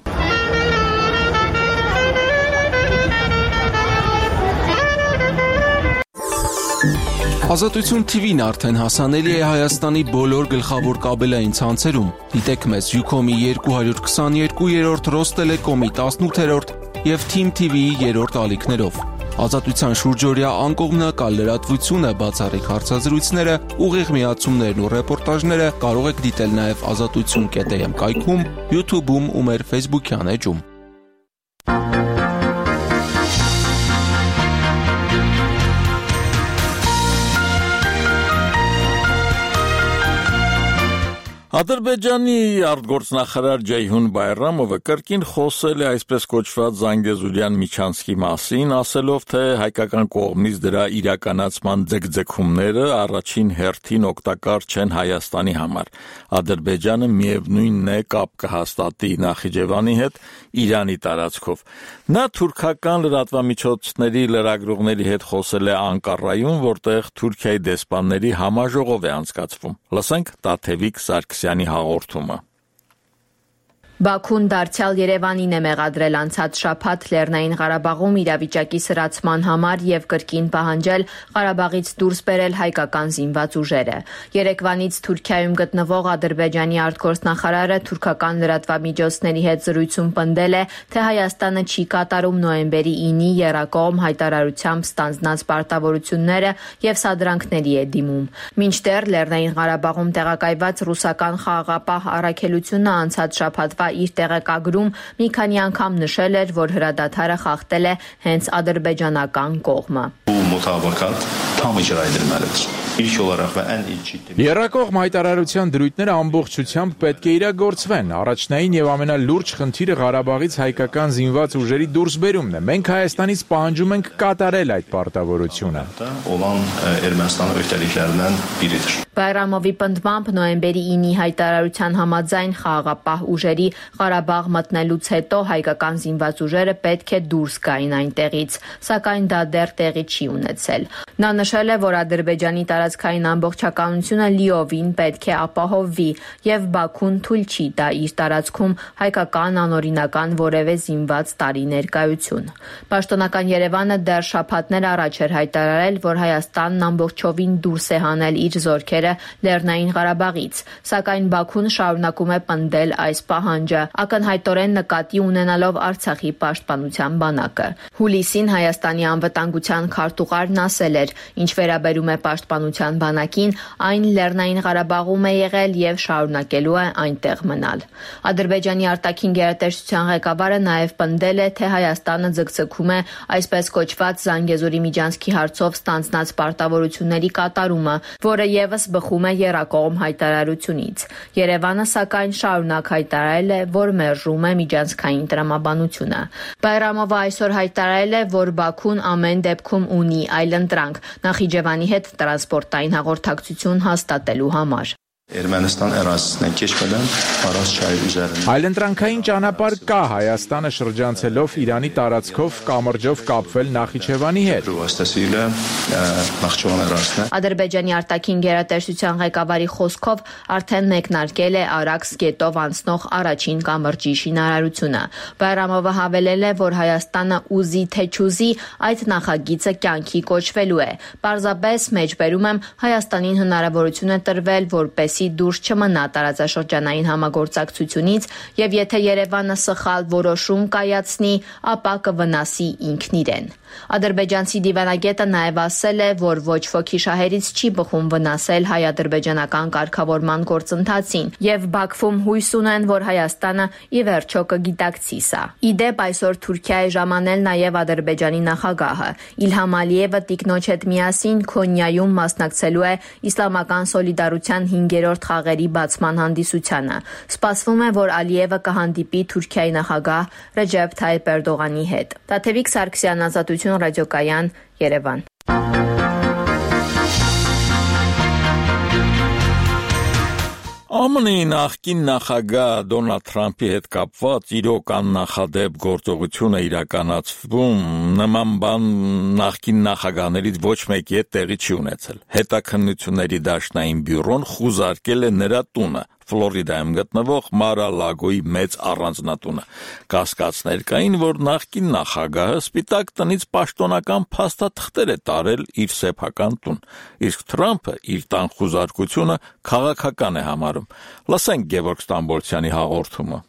Ազատություն TV-ն արդեն հասանելի է Հայաստանի բոլոր գլխավոր կաբելային ցանցերում։ Դիտեք մեզ Ucom-ի 222-րդ, Ռոստելեկոմի 18-րդ եւ Team TV-ի 3-րդ ալիքներով։ Ազատության շուրջօրյա անկողմնակալ լրատվությունը, բացառիկ հարցազրույցները, ուղիղ միացումներն ու ռեպորտաժները կարող եք դիտել նաեւ azatutsun.am կայքում, YouTube-ում ու մեր Facebook-յան էջում։ Ադրբեջանի արտգործնախարար Ջեյհուն Բայրամովը կրկին խոսել է այսպես կոչված Զանգեզուրյան միջանցքի մասին, ասելով, թե հայկական կողմից դրա իրականացման ձգձգումները առաջին հերթին օգտակար չեն Հայաստանի համար։ Ադրբեջանը միևնույնն է կապ կհաստատի Նախիջևանի հետ Իրանի տարածքով։ Նա թուրքական լրատվամիջոցների լրագրողների հետ խոսել է Անկարայում, որտեղ Թուրքիայի դեսպանների համաժողով է անցկացվում։ Լսենք Տաթևիկ Սարգսյանի հաղորդումը։ Բաքուն դարձյալ Երևանին է մեղադրել անցած շաբաթ Լեռնային Ղարաբաղում իրավիճակի սրացման համար եւ կրկին պահանջել Ղարաբաղից դուրս բերել հայկական զինված ուժերը։ Երևանից Թուրքիայում գտնվող Ադրբեջանի արտգործնախարարը թուրքական լրատվամիջոցների հետ զրույցում պնդել է, թե Հայաստանը չի կատարում նոյեմբերի 9-ի եռակողմ հայտարարությամբ ստանձնած պարտավորությունները եւ սադրանքների է դիմում։ Մինչդեռ Լեռնային Ղարաբաղում տեղակայված ռուսական խաղաղապահ առաքելությունը անցած շաբաթվա իր տեղեկագրում մի քանի անգամ նշել էր, որ հրադադարը խախտել է հենց ադրբեջանական կողմը։ Եռակողմ հայտարարության դրույթները ամբողջությամբ պետք է իրագործվեն։ Առաջնային եւ ամենալուրջ խնդիրը Ղարաբաղից հայկական զինված ուժերի դուրսբերումն է։ Մենք Հայաստանից պահանջում ենք կատարել այդ պարտավորությունը։ Բայրամովի պնդմամբ նոյեմբերի 9-ի հայտարարության համաձայն խաղաղապահ ուժերի Ղարաբաղ մտնելուց հետո հայկական զինված ուժերը պետք է դուրս գային այնտեղից, սակայն դա դեռ տեղի չի ունեցել։ Նա նշել է, որ Ադրբեջանի տարածքային ամբողջականությունը լիովին պետք է ապահովվի եւ Բաքուն թույլ չի տա իր տարածքում հայկական անօրինական որևէ զինված տարի ներկայություն։ Պաշտոնական Երևանը դեռ շաբաթներ առաջ էր հայտարարել, որ Հայաստանն ամբողջովին դուրս է հանել իր զորքերը Լեռնային Ղարաբաղից, սակայն Բաքուն շարունակում է պնդել այս պահանջը, ակնհայտորեն նկատի ունենալով Արցախի պաշտպանության բանակը։ Հուլիսին Հայաստանի անվտանգության քարտուղարն ասել էր, ինչ վերաբերում է պաշտպանության բանակին, այն Լեռնային Ղարաբաղում է եղել եւ շարունակելու է այնտեղ մնալ։ Ադրբեջանի արտաքին գերատեսչության ղեկավարը նաև պնդել է, թե Հայաստանը ձգձգում է այսպես կոչված Զանգեզուրի միջանցքի հարցով ստանձնած պարտավորությունների կատարումը, որը եւս բխում է եռակողմ հայտարարությունից։ Երևանը սակայն շարունակ հայտարարել է, որ մերժում է միջանցքային տրամաբանությունը։ Բայրամովը այսօր հայտարարել է, որ Բաքուն ամեն դեպքում ունի այլընտրանք Նախիջևանի հետ տրանսպորտային հաղորդակցություն հաստատելու համար։ Ermənistan ərazisindən keçmədən Araz çayı üzərində Այլընտրանքային ճանապարհ կա Հայաստանը շրջանցելով Իրանի տարածքով կամրջով կապվել Նախիջևանի հետ։ Vasitəsilə Naxçıvan ərazisinə Ադրբեջանի արտաքին գերատեսչության ղեկավարի խոսքով արդեն մեկնարկել է Արաքս գետով անցնող առաջին կամրջի շինարարությունը։ Բայրամովը հավելել է, որ Հայաստանը ուզի թե չուզի այդ նախագիծը կյանքի կոչվելու է։ Պարզապես մեջբերում եմ Հայաստանին հնարավորություն է տրվել, որպես դուրս չմնա տարածաշրջանային համագործակցությունից եւ եթե Երևանը սխալ որոշում կայացնի, ապա կվնասի ինքն իրեն։ Ադրբեջանցի դիվանագետը նաև ասել է, որ ոչ ոքի շահերից չի բխում վնասել հայ-ադրբեջանական կարգավորման գործընթացին եւ Բաքվում հույս ունեն, որ Հայաստանը ի վերջո կգիտակցի սա։ Իդեպ այսօր Թուրքիա է ժամանել նաև Ադրբեջանի նախագահը։ Իլհամ Ալիևը տիկնոջ հետ միասին Քոնյայում մասնակցելու է իսլամական սոլիդարության 5-րդ խաղերի բացման հանդիսությանը։ Սպասվում է, որ Ալիևը կհանդիպի Թուրքիայի նախագահ Ռեջեփ Թայիփ Էրդողանի հետ։ Տաթևիկ Սարգսյան, Ազատություն ռադիոկայան, Երևան։ ԱՄՆ-ի նախկին նախագահ Դոնալդ Թրամփի հետ կապված իրոք աննախադեպ գործողություն է իրականացվում, նման բան նախկին նախագահներից ոչ մեկի հետ տեղի չի ունեցել։ Հետաքննությունների դաշնային բյուրոն խուզարկել է նրա տունը, Ֆլորիդայում գտնվող Mar-a-Lago-ի մեծ առանձնատունը։ Կասկածներ կային, որ նախկին նախագահը Սպիտակ տնից պաշտոնական փաստաթղթեր է տարել իր սեփական տուն, իսկ Թրամփը իր տան խուզարկությունը քաղաքական է համարում։ Լսենք Գևորգ Ստամբոլցյանի հաղորդումը։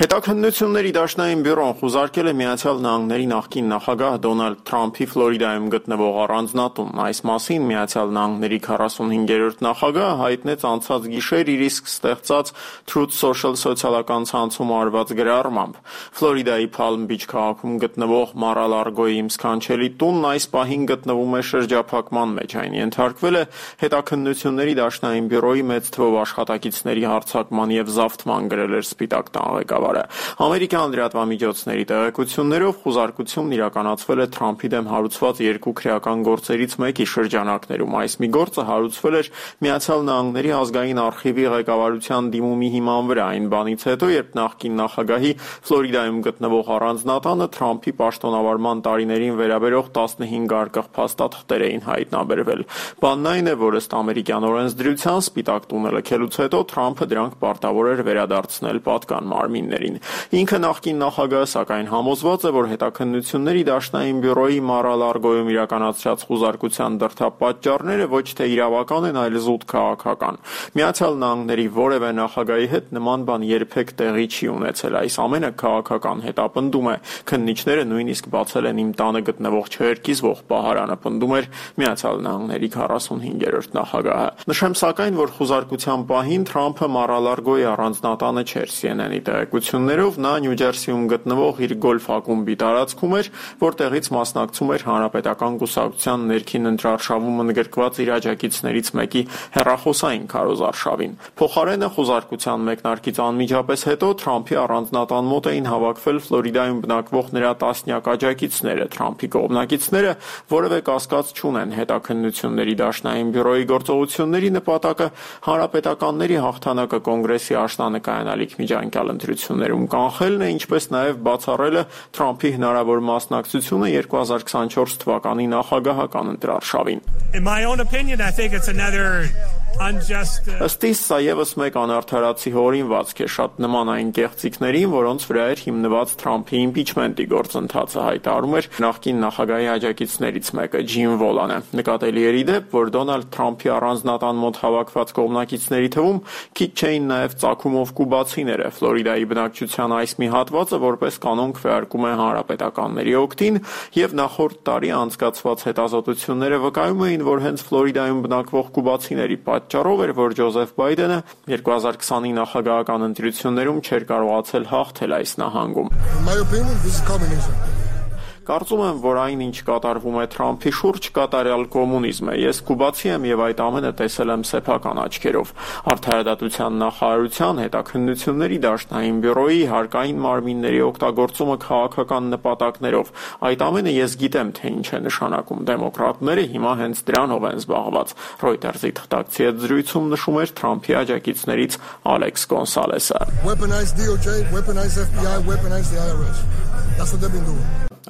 Հետաքննությունների դաշնային բյուրոն խուզարկել է Միացյալ Նահանգների նախկին նախագահ Դոնալդ Թրամփի Ֆլորիդայում գտնվող առանձնատուն։ Այս մասին Միացյալ Նահանգների 45-րդ նախագահը հայտնեց անցած գիշեր իր իսկ ստեղծած Truth Social սոցիալական ցանցում արված գրառմամբ։ Ֆլորիդայի Palm Beach քաղաքում գտնվող Mar-a-Lago-ի սքանչելի տունն այս պահին գտնվում է շրջափակման մեջ։ Այն ենթարկվել է հետաքննությունների դաշնային բյուրոյի մեծ թվով աշխատակիցների հարձակման եւ զավթման, գրել էր Սպիտակ տան ղեկավարը։ Ամերիկյան լրատվամիջոցների տեղեկություններով խուզարկությունն իրականացվել է Թրամփի դեմ հարուցված երկու քրեական գործերից մեկի շրջանակներում։ Այս մի գործը հարուցվել էր Միացյալ Նահանգների ազգային արխիվի ղեկավարության դիմումի հիման վրա, այն բանից հետո, երբ նախկին նախագահի Ֆլորիդայում գտնվող առանձնատանը Թրամփի պաշտոնավարման տարիներին վերաբերող 15 արկղ փաստաթղթեր էին հայտնաբերվել։ Բանն այն է, որ ըստ ամերիկյան օրենսդրության Սպիտակ տունը լքելուց հետո Թրամփը դրանք պարտավոր էր վերադարձնել պատկան մարմիններին։ Ինքը նախկին նախագահը սակայն համոզված է, որ հետաքննությունների դաշնային բյուրոյի Mar-a-Lago-ում իրականացրած խուզարկության դրդապատճառները ոչ թե իրավական են, այլ զուտ քաղաքական։ Միացյալ Նահանգների որևէ նախագահի հետ նման բան երբեք տեղի չի ունեցել։ Այս ամենը քաղաքական հետապնդում է։ Քննիչները նույնիսկ բացել են իմ տանը գտնվող չհերկիզվող պահարանը, պնդում էր Միացյալ Նահանգների 45-րդ նախագահը։ Նշեմ սակայն, որ խուզարկության պահին Թրամփը Mar-a-Lago-ի առանձնատանը չէր։ CNN-ի հետաքրքրություններով նա Նյու Ջերսիում գտնվող իր գոլֆ ակումբի տարածքում էր, որտեղից մասնակցում էր Հանրապետական կուսակցության ներքին ընտրարշավում ընդգրկված իր աջակիցներից մեկի հեռախոսային քարոզարշավին։ Փոխարենը խոզարկության մեկնարկից անմիջապես հետո Թրամփի առանձնատան մոտ էին հավաքվել Ֆլորիդայում բնակվող նրա տասնյակ աջակիցները։ Թրամփի կողմնակիցները որևէ կասկած չունեն հետաքննությունների դաշնային բյուրոյի գործողությունների նպատակը հանրապետականների հաղթանակը կոնգրեսի աշնանկայանալիք միջանկյալ ընտրություններում կանխելն է, ինչպես նաև բացառելը Թրամփի հնարավոր մասնակցությունը 2024 թվականի նախագահական ընտրարշավին։ Ըստ իս սա ևս մեկ անարդարացի հորինվածք է, շատ նման այն կեղծիքներին, որոնց վրա էր հիմնված Թրամփի իմպիչմենտի գործընթացը, հայտարարում էր նախկին նախագահի աջակիցներից մեկը Ջիմ Վոլանը։ Նկատելի էր ի դեպ, որ Դոնալդ Թրամփի առանձնատան մոտ հավաքված կողմնակիցների թվում քիչ չէին նաև ծագումով կուբացիները։ Ֆլորիդայի բնակչության այս մի հատվածը որպես կանոն քվեարկում է հանրապետականների օգտին, եւ նախորդ տարի անցկացված հետազոտությունները վկայում էին, որ հենց Ֆլորիդայում բնակվող կուբացիների պատճառով էր, որ Ջոզեֆ Բայդենը 2020-ի նախագահական ընտրություններում չէր կարողացել հաղթել այս նահանգում։ Կարծում եմ, որ այն, ինչ կատարվում է Թրամփի շուրջ, կատարյալ կոմունիզմ է։ Ես կուբացի եմ եւ այդ ամենը տեսել եմ սեփական աչքերով։ Արդարադատության նախարարության հետաքննությունների դաշնային բյուրոյի հարկային մարմինների օգտագործումը քաղաքական նպատակներով։ Այդ ամենը ես գիտեմ, թե ինչ է նշանակում։ Դեմոկրատները հիմա հենց դրանով են զբաղված։ Reuters-ի թղթակցի հետ զրույցում նշում էր Թրամփի աջակիցներից Ալեքս Գոնսալեսը։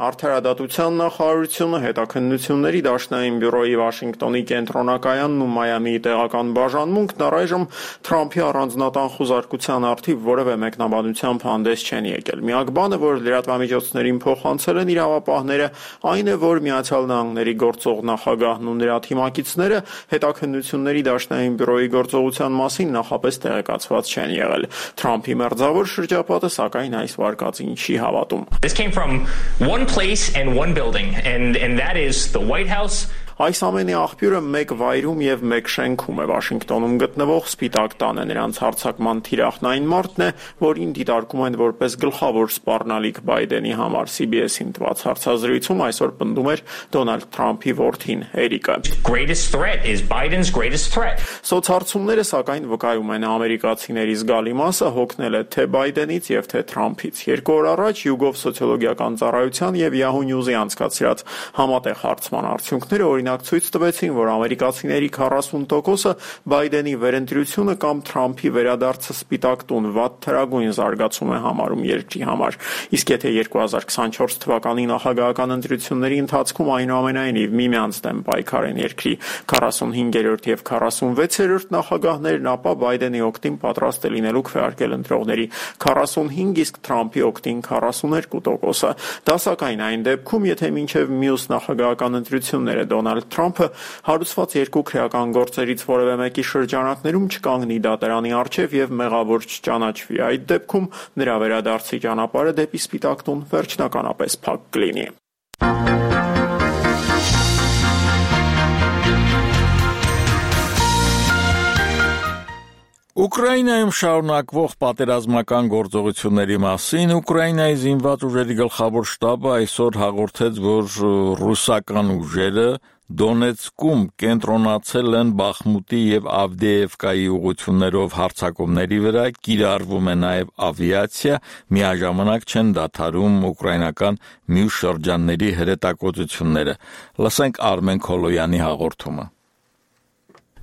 Արդարադատության նախարարությունը, հետաքննությունների դաշնային բյուրոյի Վաշինգտոնի կենտրոնակայանն ու Մայամիի տեղական բաժանմունքն առայժմ Թրամփի առանձնատան խոզարկության առթիվ որևէ մեկնաբանությամբ հանդես չեն եկել։ Միակ բանը, որ լրատվամիջոցներին փոխանցել են իրավապահները, այն է, որ Միացյալ Նահանգների գործող նախագահն ու նրա թիմակիցները հետաքննությունների դաշնային բյուրոյի գործողության մասին նախապես տեղեկացված չեն եղել։ Թրամփի մերձավոր շրջապատը սակայն այս վարկածին չի հավատում։ One place and one building, and that is the White House. Այս ամենի աղբյուրը մեկ վայրում եւ մեկ շենքում է Վաշինգտոնում գտնվող Սպիտակ տանը։ Նրանց հարձակման թիրախն այն մարդն է, որին դիտարկում են որպես գլխավոր սպառնալիք Բայդենի համար։ CBS-ին տված հարցազրույցում այսօր պնդում էր Դոնալդ Թրամփի որդին Էրիկը։ Greatest threat is Biden's greatest threat. Սոցհարցումները սակայն վկայում են ամերիկացիների զգալի մասը հոգնել է թե Բայդենից եւ թե Թրամփից։ 2 օր առաջ YouGov սոցիոլոգիական ծառայության եւ Yahoo News-ի անցկացրած համատեղ հարցման արդյունքները օրինակ ցույց տվեցին, որ ամերիկացիների 40%-ը Բայդենի վերընտրությունը կամ Թրամփի վերադարձը Սպիտակ տուն վատ թերագույն զարգացում է համարում երկրի համար։ Իսկ եթե 2024 թվականի նախագահական ընտրությունների ընթացքում այնուամենայնիվ միմյանց դեմ պայքար են երկրի 45-րդ եւ 46-րդ նախագահներն, ապա Բայդենի օգտին պատրաստ է լինելու քվեարկել ընտրողների 45, իսկ Թրամփի օգտին 42%-ը։ Դա սակայն այն դեպքում, եթե մինչև մյուս նախագահական ընտրությունները Դոնալդ Թրամփը հարուցված երկու քրեական գործերից որևէ մեկի շրջանակներում չկանգնի դատարանի առջև եւ մեղավոր չճանաչվի։ Այդ դեպքում նրա վերադարձի ճանապարհը դեպի Սպիտակ տուն վերջնականապես փակ կլինի։ Ուկրաինայում շարունակվող պատերազմական գործողությունների մասին Ուկրաինայի զինված ուժերի գլխավոր շտաբը այսօր հաղորդեց, որ ռուսական ուժերը Դոնեցկում կենտրոնացել են Բախմուտի եւ Ավդեևկայի ուղություններով հարձակումների վրա, կիրառվում է նաեւ ավիացիա, միաժամանակ չեն դադարում ուկրաինական մյուս շրջանների հրետակոծությունները։ Լսենք Արմեն Քոլոյանի հաղորդումը։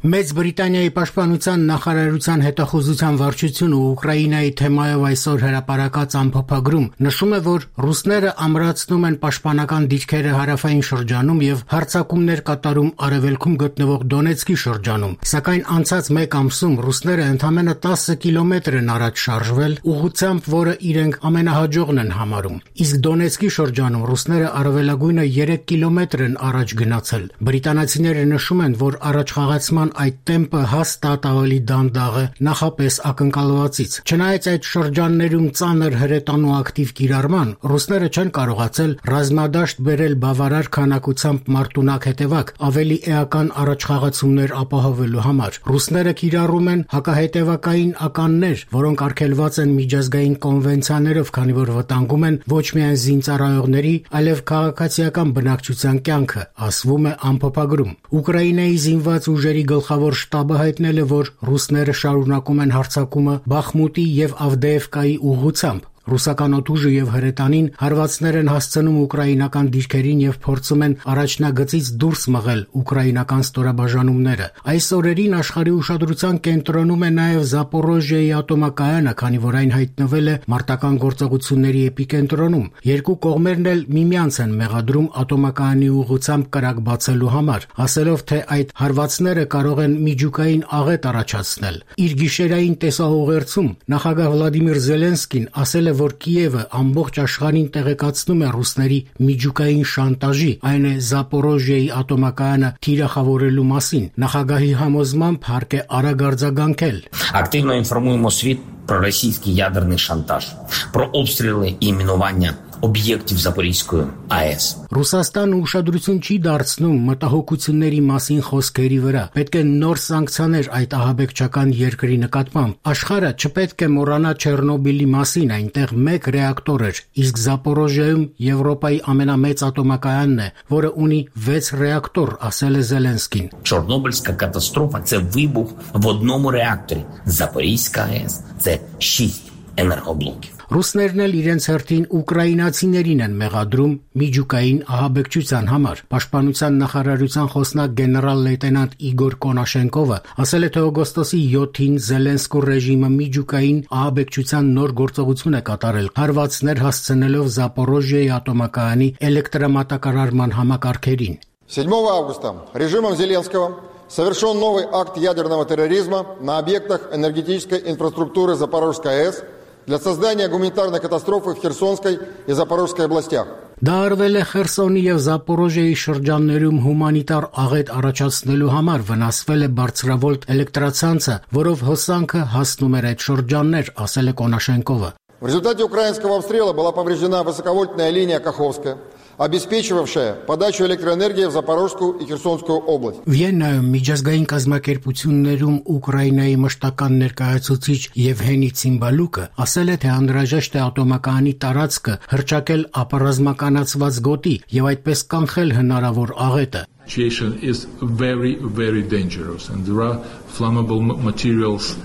Մեծ Բրիտանիայի պաշտպանության նախարարության հետախուզության վարչությունը Ուկրաինայի թեմայով այսօր հրապարակած ամփոփագրում նշում է, որ ռուսները ամրացնում են պաշտպանական դիրքերը հարավային շրջանում եւ հարձակումներ կատարում արևելքում գտնվող Դոնեցկի շրջանում, սակայն անցած մեկ ամսում ռուսները ընդամենը 10 կիլոմետր են առաջ շարժվել, ուղղությամբ, որը իրենք ամենահաջողն են համարում։ Իսկ Դոնեցկի շրջանում ռուսները առավելագույնը 3 կիլոմետր են առաջ գնացել։ Բրիտանացիները նշում են, որ առաջխաղացման տարածման այդ տեմպը հաստատ ավելի դանդաղ է նախապես ակնկալվածից։ Չնայած այդ շրջաններում ծանր հրետանու ակտիվ կիրառման, ռուսները չեն կարողացել ռազմադաշտ բերել բավարար քանակությամբ մարտունակ հետևակ ավելի էական առաջխաղացումներ ապահովելու համար։ Ռուսները կիրառում են հակահետևակային ականներ, որոնք արգելված են միջազգային կոնվենցիաներով, քանի որ վտանգում են ոչ միայն զինծառայողների, այլև քաղաքացիական բնակչության կյանքը, ասվում է ամփոփագրում։ Ուկրաինայի զինված ուժերի գլխավոր շտաբը հայտնել է, որ ռուսները շարունակում են հարձակումը Բախմուտի եւ Ավդեևկայի ուղղությամբ։ Ռուսական օդուժը եւ հրետանին հարվածներ են հասցնում ուկրաինական դիրքերին եւ փորձում են առաջնագծից դուրս մղել ուկրաինական ստորաբաժանումները։ Այս օրերին աշխարհի ուշադրության կենտրոնում է նաեւ Զապորոժիայի ատոմակայանը, քանի որ այն հայտնվել է մարտական գործողությունների էպիկենտրոնում։ Երկու կողմերն էլ միմյանց են մեղադրում ատոմակայանի ուղղությամբ կրակ բացելու համար, ասելով, թե այդ հարվածները կարող են միջուկային աղետ առաջացնել։ Իր գիշերային տեսահողերցում նախագահ Վլադիմիր Զելենսկին ասել է, որ Կիևը ամբողջ աշխարհին տեղեկացնում է ռուսների միջուկային շանտաժի, այն է Զապորոժիայի ատոմակայանը թիրախավորելու մասին։ Նախագահի համոզմամբ հարկ է արագ արձագանքել։ Активно інформуємо світ про російський ядерний шантаж, про обстріли і мінування об'єктів Запорізької АЕС. Ռուսաստանը ուշադրություն չի դարձնում մտահոգությունների մասին խոսքերի վրա։ Պետք է նոր սանկցիաներ այդ ահաբեկչական երկրի նկատմամբ։ Աշխարհը չպետք է մոռանա Չեռնոբիլի մասին, այնտեղ 1 ռեակտոր էր, իսկ Զապորոժիայում Եվրոպայի ամենամեծ ատոմակայանն է, որը ունի 6 ռեակտոր, ասել է Զելենսկին։ Чорнобильська катастрофа – це вибух в одному реакторі. Запорізька АЕС – це 6 енергоблоків. Ռուսներն էլ իրենց հերթին ուկրաինացիներին են մեղադրում միջուկային ահաբեկչության համար։ Պաշտպանության նախարարության խոսնակ գեներալ լեյտենանտ Իգոր Կոնաշենկովը ասել է, թե օգոստոսի 7-ին Զելենսկու ռեժիմը միջուկային ահաբեկչության նոր գործողություն է կատարել, հարվածներ հասցնելով Զապորոժիայի ատոմակայանի էլեկտրամատակարարման համակարգերին։ 7 августа режимом Зеленского совершен новый акт ядерного терроризма на объектах энергетической инфраструктуры Запорожской АЭС для создания гуманитарной катастрофы в Херсонской и Запорожской областях. Դա արվել է Խերսոնի եւ Զապորոժիայի շրջաններում հումանիտար աղետ առաջացնելու համար, վնասվել է բարձրավոլտ էլեկտրացանցը, որով հոսանքը հասնում էր այդ шорджанներ, ասել է Կոնաշենկովը։ В результате украинского обстрела была повреждена высоковольтная линия Каховская, обеспечивавшая подачу электроэнергии в Запорожскую и Херсонскую область. Վիեննայում միջազգային կազմակերպություններում Ուկրաինայի մշտական ներկայացուցիչ Եվգենի Ցիմբալուկը ասել է, թե անհրաժեշտ է ատոմակայանի տարածքը հրճակել ապառազմականացված գոտի եւ այդպես կանխել հնարավոր աղետը։ Situation is very dangerous and there are flammable materials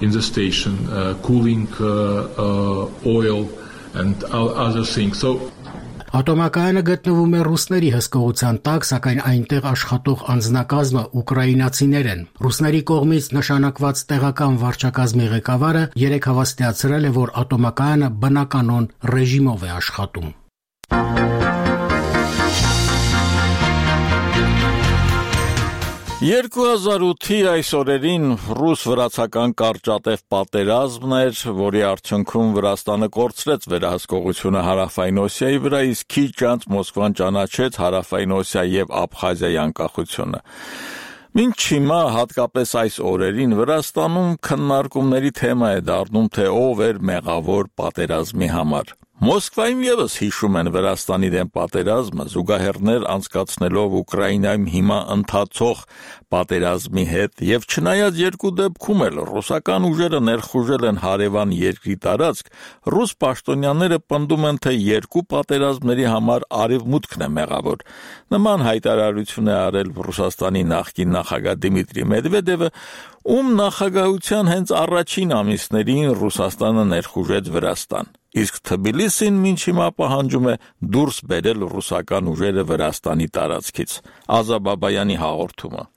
in the station, cooling oil and other things. So Ատոմակայանը գտնվում է ռուսների հսկողության տակ, սակայն այնտեղ աշխատող անձնակազմը ուկրաինացիներ են։ Ռուսների կողմից նշանակված տեղական վարչակազմի ղեկավարը երեկ հավաստիացրել է, որ ատոմակայանը բնականոն ռեժիմով է աշխատում։ 2008-ի այս օրերին ռուս-վրացական կարճատև պատերազմն էր, որի արդյունքում Վրաստանը կորցրեց վերահսկողությունը Հարավային Օսիայի վրա, իսկ քիչ անց Մոսկվան ճանաչեց Հարավային Օսիա եւ Աբխազիայի անկախությունը։ Մինչ հիմա, հատկապես այս օրերին, Վրաստանում քննարկումների թեմա է դառնում, թե ով էր մեղավոր պատերազմի համար։ Մոսկվայում եւս հիշում են Վրաստանի դեմ պատերազմը, զուգահեռներ անցկացնելով Ուկրաինայում հիմա ընթացող պատերազմի հետ, եւ չնայած երկու դեպքում էլ ռուսական ուժերը ներխուժել են հարևան երկրի տարածք, ռուս պաշտոնյաները պնդում են, թե երկու պատերազմների համար արևմուտքն է մեղավոր։ Նման հայտարարություն է արել Ռուսաստանի նախկին նախագահ Դիմիտրի Մեդվեդևը, ում նախագահության հենց առաջին ամիսներին Ռուսաստանը ներխուժեց Վրաստան։ Իսկ Թբիլիսին մինչ հիմա պահանջում է դուրս բերել ռուսական ուժերը Վրաստանի տարածքից։ Ազա Բաբայանի հաղորդումը։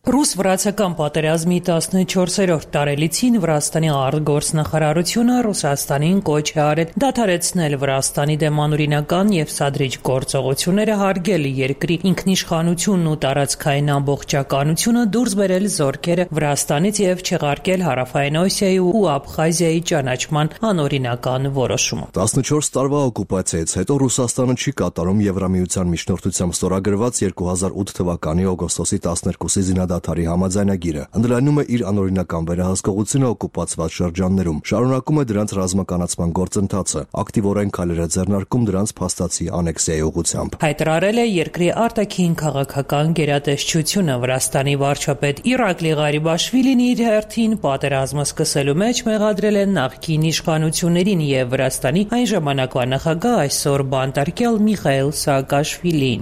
Ռուս-վրացական պատերազմի 14-րդ տարելիցին Վրաստանի արտգործնախարարությունը Ռուսաստանին կոչ է արել դադարեցնել Վրաստանի դեմ անօրինական եւ սադրիչ գործողությունները, հարգել երկրի ինքնիշխանությունն ու տարածքային ամբողջականությունը, դուրս բերել զորքերը Վրաստանից եւ չեղարկել Հարավային Օսիայի ու Աբխազիայի ճանաչման անօրինական որոշումը։ 14 տարվա օկուպացիայից հետո Ռուսաստանը չի կատարում Եվրամիության միջնորդությամբ ստորագրված 2008 թվականի օգոստոսի 12-ի զինադադարի դադարի համաձայնագիրը, ընդլայնում է իր անօրինական վերահսկողությունը օկուպացված շրջաններում, շարունակում է դրանց ռազմականացման գործընթացը, ակտիվորեն քայլեր է ձեռնարկում դրանց փաստացի անեքսիայի ուղղությամբ։ Հայտարարել է երկրի արտաքին քաղաքական գերատեսչությունը Վրաստանի վարչապետ Իրակլի Ղարիբաշվիլին իր հերթին պատերազմը սկսելու մեջ մեղադրել է նախկին իշխանություններին եւ Վրաստանի այն ժամանակվա նախագահ այսօր բանտարկյալ Միխայիլ Սաակաշվիլին։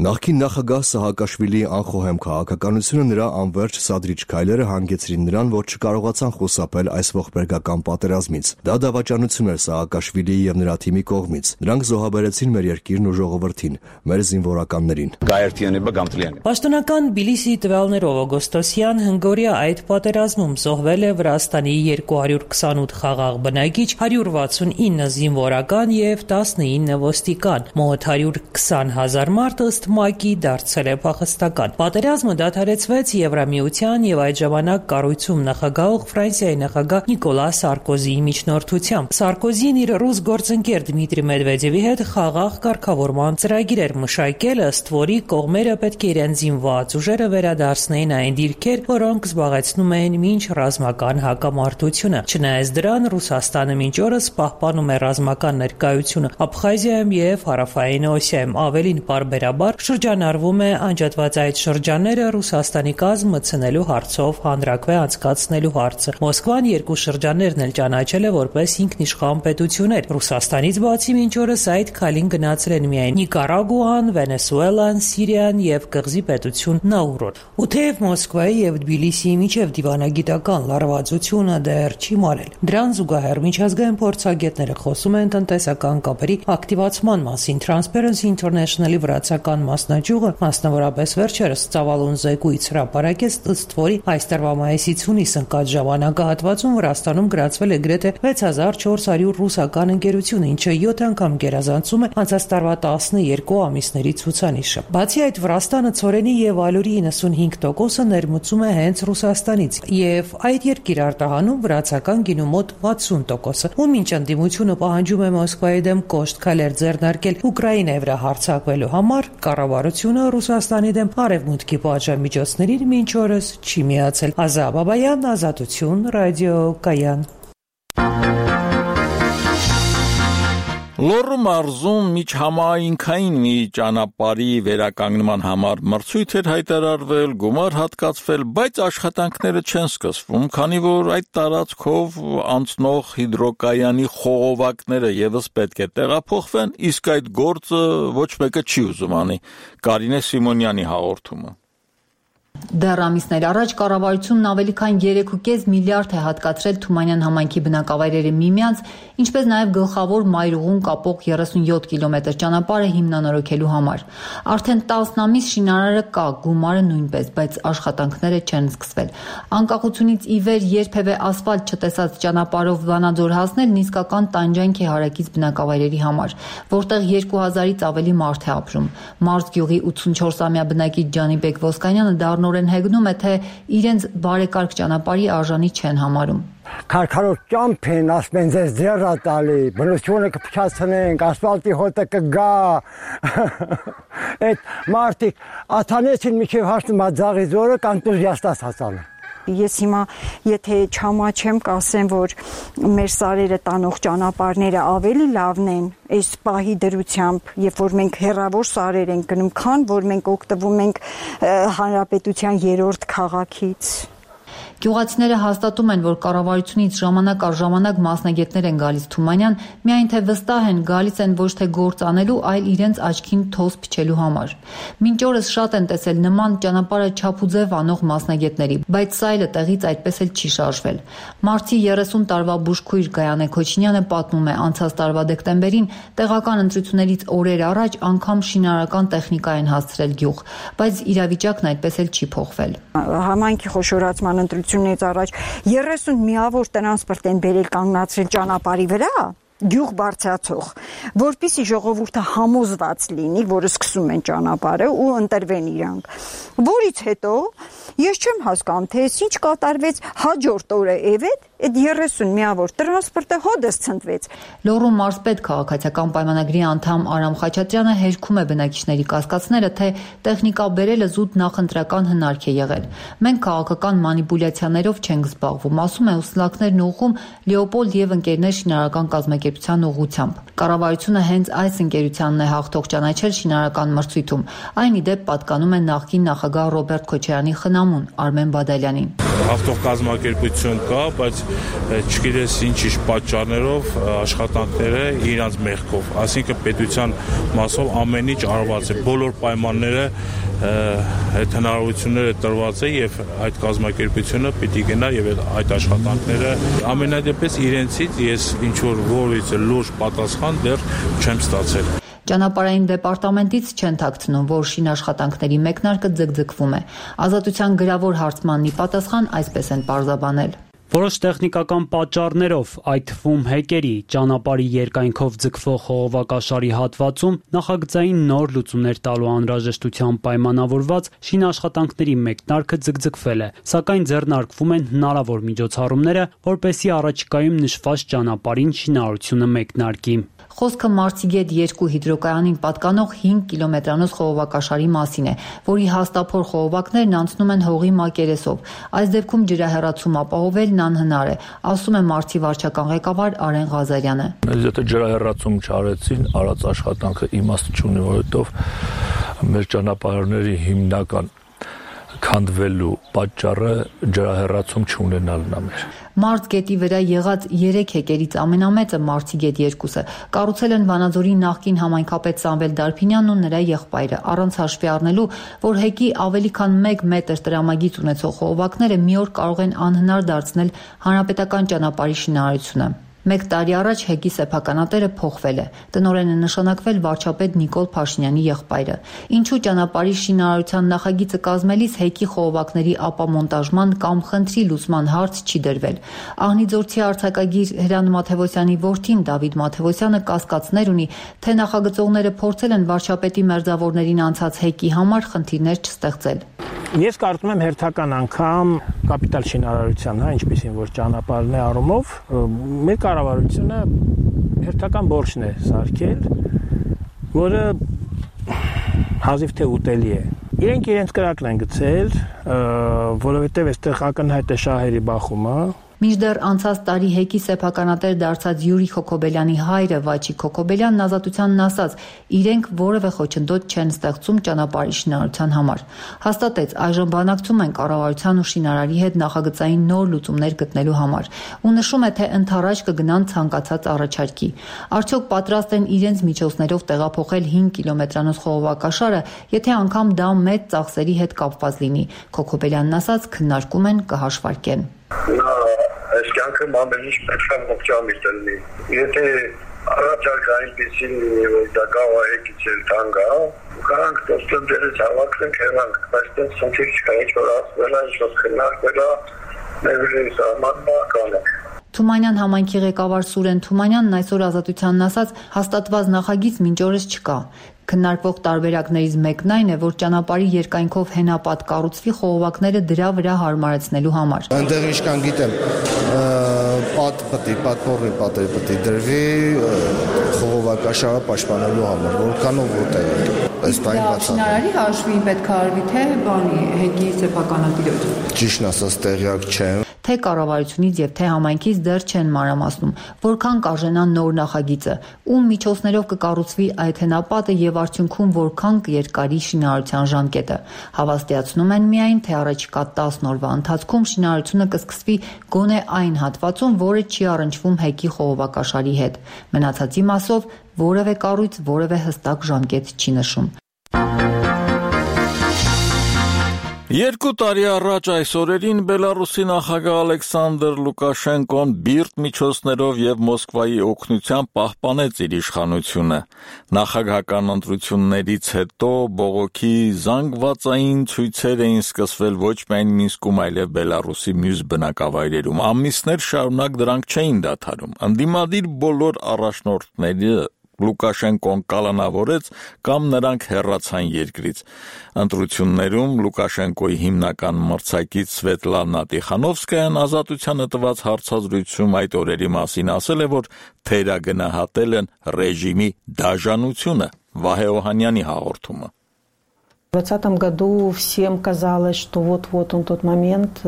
Նախկին նախագահ Սահակաշվիլիի անխոհեմ քաղաքականությունը նրա անվերջ սադրիչ քայլերը հանգեցրին նրան, որ չկարողացան խուսափել այս ողբերգական պատերազմից։ Դա դավաճանություն էր Սահակաշվիլիի եւ նրա թիմի կողմից։ Նրանք զոհաբերեցին մեր երկիրն ու ժողովրդին, մեր զինվորականներին։ Պաշտոնական Բիլիսի տվյալներով օգոստոսյան հնգօրյա այդ պատերազմում զոհվել է Վրաստանի 228 խաղաղ բնակիչ, 169 զինվորական եւ 19 ոստիկան, մոտ 120,000 մարդ ըստ ՄԱԿ-ի դարձել է փախստական։ Պատերազմը դադարեցվեց Եվրամիության եւ այդ ժամանակ կառույցում նախագահող Ֆրանսիայի նախագահ Նիկոլա Սարկոզիի միջնորդությամբ։ Սարկոզին իր ռուս գործընկեր Դմիտրի Մեդվեդևի հետ խաղաղ կարգավորման ծրագիր էր մշակել, ըստ որի կողմերը պետք է իրենց զինված ուժերը վերադարձնեին այն դիրքեր, որոնք զբաղեցնում էին մինչ ռազմական հակամարտությունը։ Չնայած դրան, Ռուսաստանը մինչ օրս պահպանում է ռազմական ներկայությունը Աբխազիայում եւ Հարավային Օսիայում, ավելին պարբերաբար շրջանառվում է անջատված այդ շրջանները Ռուսաստանի կազմ մտցնելու հարցով հանրաքվե անցկացնելու հարցը։ Մոսկվան երկու շրջաններն էլ ճանաչել է որպես ինքնիշխան պետություններ։ Ռուսաստանից բացի մինչ օրս այդ քայլին գնացել են միայն Նիկարագուան, Վենեսուելան, Սիրիան եւ կղզի պետություն Նաուրոն։ Ու թեև Մոսկվայի եւ Թբիլիսիի միջև դիվանագիտական լարվածությունը դեռ չի մարել, դրան զուգահեռ միջազգային փորձագետները խոսում են տնտեսական կապերի ակտիվացման մասին։ Transparency International-ի վրացական մասնաճյուղը մասնավորապես վերջերս ծավալուն զեկույց հրապարակեց, ըստ որի այս տարվա մայիսից հունիս ընկած ժամանակահատվածում Վրաստանում գրացվել է գրեթե 6400 ռուսական ընկերություն, ինչը 7 անգամ գերազանցում է անցած տարվա 12 ամիսների ցուցանիշը։ Բացի այդ, Վրաստանը ցորենի եւ ալյուրի 95%-ը ներմուծում է հենց Ռուսաստանից, եւ այդ երկիր արտահանում վրացական գինու մոտ 60%-ը։ Ու մինչ ընդդիմությունը պահանջում է Մոսկվայի դեմ կոշտ քայլեր ձեռնարկել Ուկրաինայի վրա հարձակվելու համար, կառավարությունը Ռուսաստանի դեմ արևմուտքի պատժամիջոցներին մինչ օրս չի միացել։ Ազա Բաբայան, Ազատություն, Ռադիո Կայան։ Լոռու մարզում միջհամայնքային մի ճանապարհի վերականգնման համար մրցույթ էր հայտարարվել, գումար հատկացվել, բայց աշխատանքները չեն սկսվում, քանի որ այդ տարածքով անցնող հիդրոկայանի խողովակները եւս պետք է տեղափոխվեն, իսկ այդ գործը ոչ մեկը չի ուզում անի։ Կարինե Սիմոնյանի հաղորդումը։ Դեռ ամիսներ առաջ կառավարությունն ավելի քան 3.5 միլիարդ է հատկացրել Թումանյան համայնքի բնակավայրերը միմյանց, ինչպես նաև գլխավոր մայրուղուն կապող 37 կիլոմետր ճանապարհը հիմնանորոգելու համար։ Արդեն 10 ամիս շինարարը կա, գումարը նույնպես, բայց աշխատանքները չեն սկսվել։ Անկախությունից ի վեր երբևէ ասֆալտ չտեսած ճանապարհով Վանաձոր հասնելն իսկական տանջանք է հարակից բնակավայրերի համար, որտեղ 2000-ից ավելի մարդ է ապրում։ Մարզ գյուղի 84-ամյա բնակիչ Ջանիբեկ Ոսկանյանը նորեն հեգնում է, թե իրենց բարեկարգ ճանապարհի արժանի չեն համարում։ Քարքարով ճամփ են, ասում են ձեզ ձեռա տալի, բնությունը կփչացնենք, ասֆալտի հոտը կգա։ Այդ մարդիկ աթանեցին միջև հասնում ածաղի զորը կանտուզիաստ ասացան։ Ես հիմա եթե չամաչեմ կասեմ, որ մեր սարերը տանող ճանապարհները ավելի լավն են այս պահի դրությամբ, երբ որ մենք հեռավոր սարեր ենք գնում, քան որ մենք օգտվում ենք հանրապետության 3-րդ քաղաքից։ Գյուղացիները հաստատում են, որ կառավարությունից ժամանակ առ ժամանակ մասնագետներ են գալիս Թումանյան, միայն թե վստահ են գալիս են ոչ թե գործ անելու, այլ իրենց աչքին թոս փչելու համար։ Մինչ օրս շատ են տեսել նման ճանապարհը չափուձև անող մասնագետների, բայց սայլը տեղից այդպես էլ չի շարժվել։ Մարտի 30 տարվա բուժքույր Գայանե Քոչինյանը պատմում է, անցած տարվա դեկտեմբերին տեղական ընտրություններից օրեր առաջ անգամ շինարարական տեխնիկա են հասցրել գյուղ, բայց իրավիճակն այդպես էլ չի փոխվել։ Համայնքի խոշորացման ընտրությունից առաջ 30 միավոր տրանսպորտ են բերել կանգնացրել ճանապարհի վրա, գյուղ բարձրացող, որպեսզի ժողովուրդը համոզված լինի, որ սկսում են ճանապարհը ու ընտրվեն իրանք։ Որից հետո ես չեմ հասկանում, թե ինչ կատարվեց հաջորդ օրը Էվետ այդ 30 միավոր տրանսպորտը հոդս ցնդվեց։ Լոռու մարզպետ քաղաքացիական պայմանագրի անդամ Արամ Խաչատրյանը հերքում է բնակիչների կասկածները, թե տեխնիկա բերելը զուտ նախընտրական հնարք է եղել։ Մենք քաղաքական մանիպուլյացիաներով չենք զբաղվում, ասում է ուսլակներն ուղղում Լեոպոլդ եւ ընկերներ շինարարական կազմակերպության ուղղությամբ։ Կառավարությունը հենց այս ընկերությանն է հաղթող ճանաչել շինարարական մրցույթում։ Այն ի դեպ պատկանում է նախկին նախագահ Ռոբերտ Քոչարյանի խնամուն Արմեն Բադալյանին։ Հաղթող կազմակերպություն կա, բայց չգիտես ինչ պատճառներով աշխատանքները իրանց մեղքով, այսինքն պետության մասով ամեն ինչ արված է, բոլոր պայմանները այդ հնարավորությունները տրված է եւ այդ կազմակերպությունը պիտի գնա եւ այդ աշխատանքները ամենադեպս իրենցից ես ինչ որ որից լուրջ պատասխան դեռ չեմ ստացել։ Ճանապարհային դեպարտամենտից չեն թաքցնում, որ շինաշխատանքների մեկնարկը ձգձգվում է։ Ազատության գրավոր հարցմանն ի պատասխան այսպես են պարզաբանել։ Որոշ տեխնիկական պատճառներով, այդ թվում հեկերի, ճանապարհի երկայնքով ձգվող խողովակաշարի հատվածում նախագծային նոր լուծումներ տալու անհրաժեշտությամբ պայմանավորված շինաշխատանքների մեկնարկը ձգձգվել է, սակայն ձեռնարկվում են հնարավոր միջոցառումները, որպեսզի առաջիկայում նշված ճանապարհին շինարարությունը մեկնարկի։ Խոսքը Մարտիգետ 2 հիդրոկայանին պատկանող 5 կիլոմետրանոց խողովակաշարի մասին է, որի հաստափոր խողովակներն անցնում են հողի մակերեսով։ Այս դեպքում ջրահեռացում ապահովելն անհնար է, ասում է Մարտի վարչական ղեկավար Արեն Ղազարյանը։ Եթե ջրահեռացում չարեցին, արած աշխատանքը իմաստ չունի, որովհետև մեր ճանապարհների հիմնական քանդվելու պատճառը ջրահեռացում չունենալն է մեր։ Մարտ գետի վրա եղած 3 հեկերից ամենամեծը Մարտիգետ 2-ը կառուցել են Վանաձորի նախկին համայնքապետ Սամվել Դարփինյանն ու նրա եղբայրը, առանց հաշվի առնելու, որ հեկի ավելի քան 1 մետր տրամագիծ ունեցող խողովակները մի օր կարող են անհնար դարձնել հանրապետական ճանապարհի շինարարությունը։ 1 տարի առաջ հեկի սեփականատերը փոխվել է։ Տնօրեն է նշանակվել վարչապետ Նիկոլ Փաշինյանի եղբայրը։ Ինչու ճանապարհի շինարարության նախագիծը կազմելիս հեկի խողովակների ապամոնտաժման կամ խնդրի լուծման հարց չի դրվել։ Աղնիձորցի արձակագիր Հրանտ Մաթևոսյանի որդին Դավիթ Մաթևոսյանը կասկածներ ունի, թե նախագծողները փորձել են վարչապետի մերձավորներին անցած հեկի համար խնդիրներ չստեղծել։ Ես կարծում եմ հերթական անգամ կապիտալ շինարարության, ինչպեսին որ ճանապարհն է առումով, մեր կառավարությունը հերթական բորշն է սարքել, որը հազիվ թե ուտելի է։ Իրենք իրենց կրակն են գցել, որովհետև այստեղ ակնհայտ է շահերի բախումը։ Մինչդեռ անցած տարի հեկի սեփականատեր դարձած Յուրի Քոքոբելյանի հայրը Վաչիկ Քոքոբելյանն Ազատությանն ասաց, իրենք որևէ խոչընդոտ չեն ստեղծում ճանապարհի շինարարության համար։ Հաստատեց, այժմ բանակցում են կառավարության ու շինարարի հետ նախագծային նոր լուծումներ գտնելու համար։ Ու նշում է, թե ընդառաջ կգնան ցանկացած առաջարկի։ Արդյոք պատրաստ են իրենց միջոցներով տեղափոխել 5 կիլոմետրանոց խողովակաշարը, եթե անգամ դա մեծ ծախսերի հետ կապված լինի։ Քոքոբելյանն ասաց, քննարկում են, կհաշվարկեն։ Այս կյանքը ամեն ինչ պետք է ողջամիտ լինի։ Եթե առաջարկ այնպեսին լինի, որ դա գավա հեկից էլ տանգ է, կարանք դոստով դերից հավաքենք հեռանք, բայց դες խնդիր չկա, ինչ որ ասվել է, ինչ որ քննարկվել է, մեր սահմանումը կանենք։ Թումանյան համայնքի ղեկավար Սուրեն Թումանյանն այսօր Ազատությանն ասաց, հաստատված նախագիծ մինչ օրս չկա։ Քննարկվող տարբերակներից մեկն այն է, որ ճանապարհի երկայնքով հենապատ կառուցվի խողովակները դրա վրա հարմարեցնելու համար։ Այնտեղ ինչքան գիտեմ, պատմորի պատեր պետք է դրվի խողովակաշարը պաշտպանելու համար, որքանով որտեղ է։ Ըստ այն բացառ։ Շինարարի հաշվին պետք է արվի թե բանի հեկի սեփականատիրոջ։ Ճիշտն ասած տեղյակ չեմ։ Թե կառավարությունից եւ թե համայնքից դեռ չեն մանրամասնում, որքան կարժենա նոր նախագիծը, ում միջոցներով կկառուցվի այդ հենապատը եւ արդյունքում որքան կերկարի շինարարության ժամկետը։ Հավաստիացնում են միայն, թե առաջիկա 10 օրվա ընթացքում շինարարությունը կսկսվի գոնե այն հատվածում, որը չի առնչվում հեկի խողովակաշարի հետ։ Մնացածի մասով որևէ կառույց որևէ հստակ ժամկետ չի նշում։ 2 տարի առաջ այս օրերին Բելարուսի նախագահ Ալեքսանդր Լուկաշենկոն բիրտ միջոցներով եւ Մոսկվայի օգնությամբ պահպանեց իր իշխանությունը։ Նախագահական ընտրություններից հետո բողոքի զանգվածային ցույցեր էին սկսվել ոչ միայն Մինսկում, այլև Բելարուսի մյուս բնակավայրերում։ Ամիսներ շարունակ դրանք չէին դադարում։ Ընդդիմադիր բոլոր առաջնորդները Լուկաշենկոն կալանավորեց կամ նրանք հեռացան երկրից։ Ընտրություններում Լուկաշենկոյի հիմնական մրցակից Սվետլանա Տիխանովսկայան Ազատությանը տված հարցազրույցում այդ օրերի մասին ասել է, որ թերագնահատել են ռեժիմի դաժանությունը։ Վահե Օհանյանի հաղորդումը։ В 2020 году всем казалось, что вот-вот он тот момент,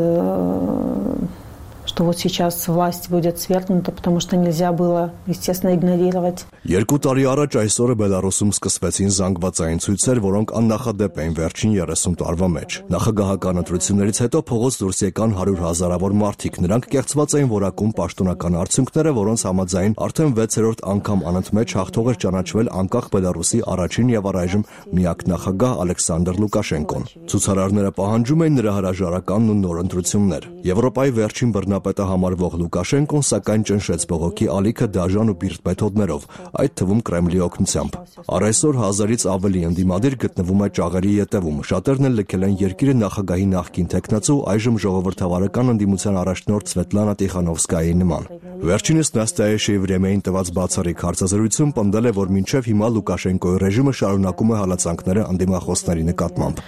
что вот сейчас власть будет свергнута, потому что нельзя было, естественно, игнорировать. 2 տարի առաջ այսօրը Բելարուսում սկսվեցին զանգվածային ցույցեր, որոնք աննախադեպ էին վերջին 30 տարվա մեջ։ Նախագահական ընտրություններից հետո փողոց դուրս եկան 100,000-ավոր մարդիկ։ Նրանք կեղծված էին որակում պաշտոնական արդյունքները, որոնց համաձայն արդեն 6-րդ անգամ անընդմեջ հաղթող էր ճանաչվել անկախ Բելարուսի առաջին եւ առայժմ միակ նախագահ Ալեքսանդր Լուկաշենկոն։ Ցուցարարները պահանջում էին նրա հրաժարականն ու նոր ընտրություններ։ Եվրոպայի վերջին բռնապետը համարվող Լուկաշենկոն սակայն ճնշեց բողոքի ալիքը դաժան ու բիրտ մեթոդներով, այդ թվում Կրեմլի օգնությամբ։ Առայսօր 1000-ից ավելի ընդդիմադիր գտնվում է ճաղերի ետևում։ Շատերն էլ լքել են երկիրը նախագահի նախկին թեկնածու, այժմ ժողովրդավարական ընդդիմության առաջնորդ Սվետլանա Տիխանովսկայի նման։ Վերջինս Նաստայա Վրեմեին տված բացառիկ հարցազրույցում պնդել է, որ մինչև հիմա Լուկաշենկոյի ռեժիմը շարունակում է հալածանքները ընդդիմախոսների նկատմամբ։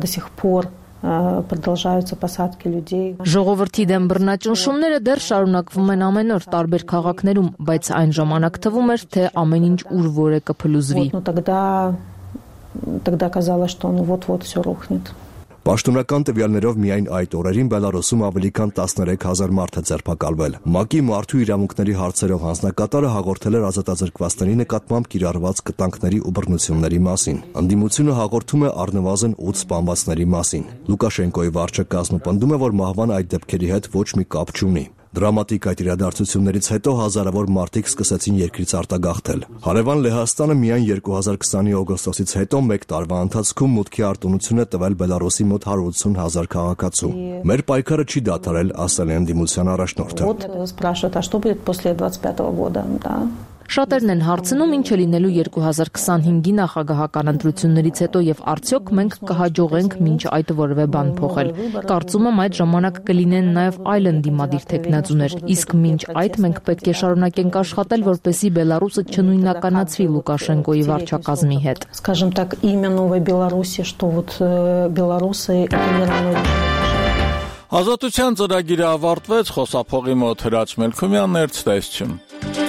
До сих пор продолжаются посадки людей. Ժողովրդի դեմ բռնաճնշումները դեռ շարունակվում են ամեն օր տարբեր քաղաքներում, բայց այն ժամանակ թվում էր, թե ամեն ինչ ուր որ է կփլուզվի։ Тогда казалось, что вот-вот все рухнет. Պաշտոնական տվյալներով միայն այդ օրերին Բելարուսում ավելի քան 13,000 մարդ է ձերբակալվել։ ՄԱԿ-ի մարդու իրավունքների հարցերով հանձնակատարը հաղորդել էր ազատազրկվածների նկատմամբ կիրառված կտանքների ու բռնությունների մասին։ Ընդդիմությունը հաղորդում է առնվազն 8 սպանվածների մասին։ Լուկաշենկոյի վարչակազմը պնդում է, որ մահվան այդ դեպքերի հետ ոչ մի կապ չունի։ Դրամատիկ այդ իրադարձություններից հետո հազարավոր մարդիկ սկսեցին երկրից արտագաղթել։ Հարևան Լեհաստանը միայն 2020-ի օգոստոսից հետո 1 տարվա ընթացքում մուտքի արտոնություն է տվել Բելարուսի մոտ 180,000 քաղաքացու։ Մեր պայքարը չի դադարել, ասել է ընդդիմության առաջնորդը։ Спрашивают, а что будет после 25 года, да? Շատերն են հարցնում, ինչ է լինելու 2025-ի նախագահական ընտրություններից հետո եւ արդյոք մենք կհաջողենք մինչ այդ որևէ բան փոխել։ Կարծում եմ այդ ժամանակ կլինեն նաեւ այլ ընդդիմադիր թեկնածուներ, իսկ մինչ այդ մենք պետք է շարունակենք աշխատել, որպեսզի Բելարուսը չնույնականացվի Լուկաշենկոյի վարչակազմի հետ։ Скажем так, имя новой Беларуси, что вот белорусы это не равно. Ազատության ծրագիրը ավարտվեց, խոսափողի մոտ Հրաչ Մելքումյանն էր, ցտեսություն։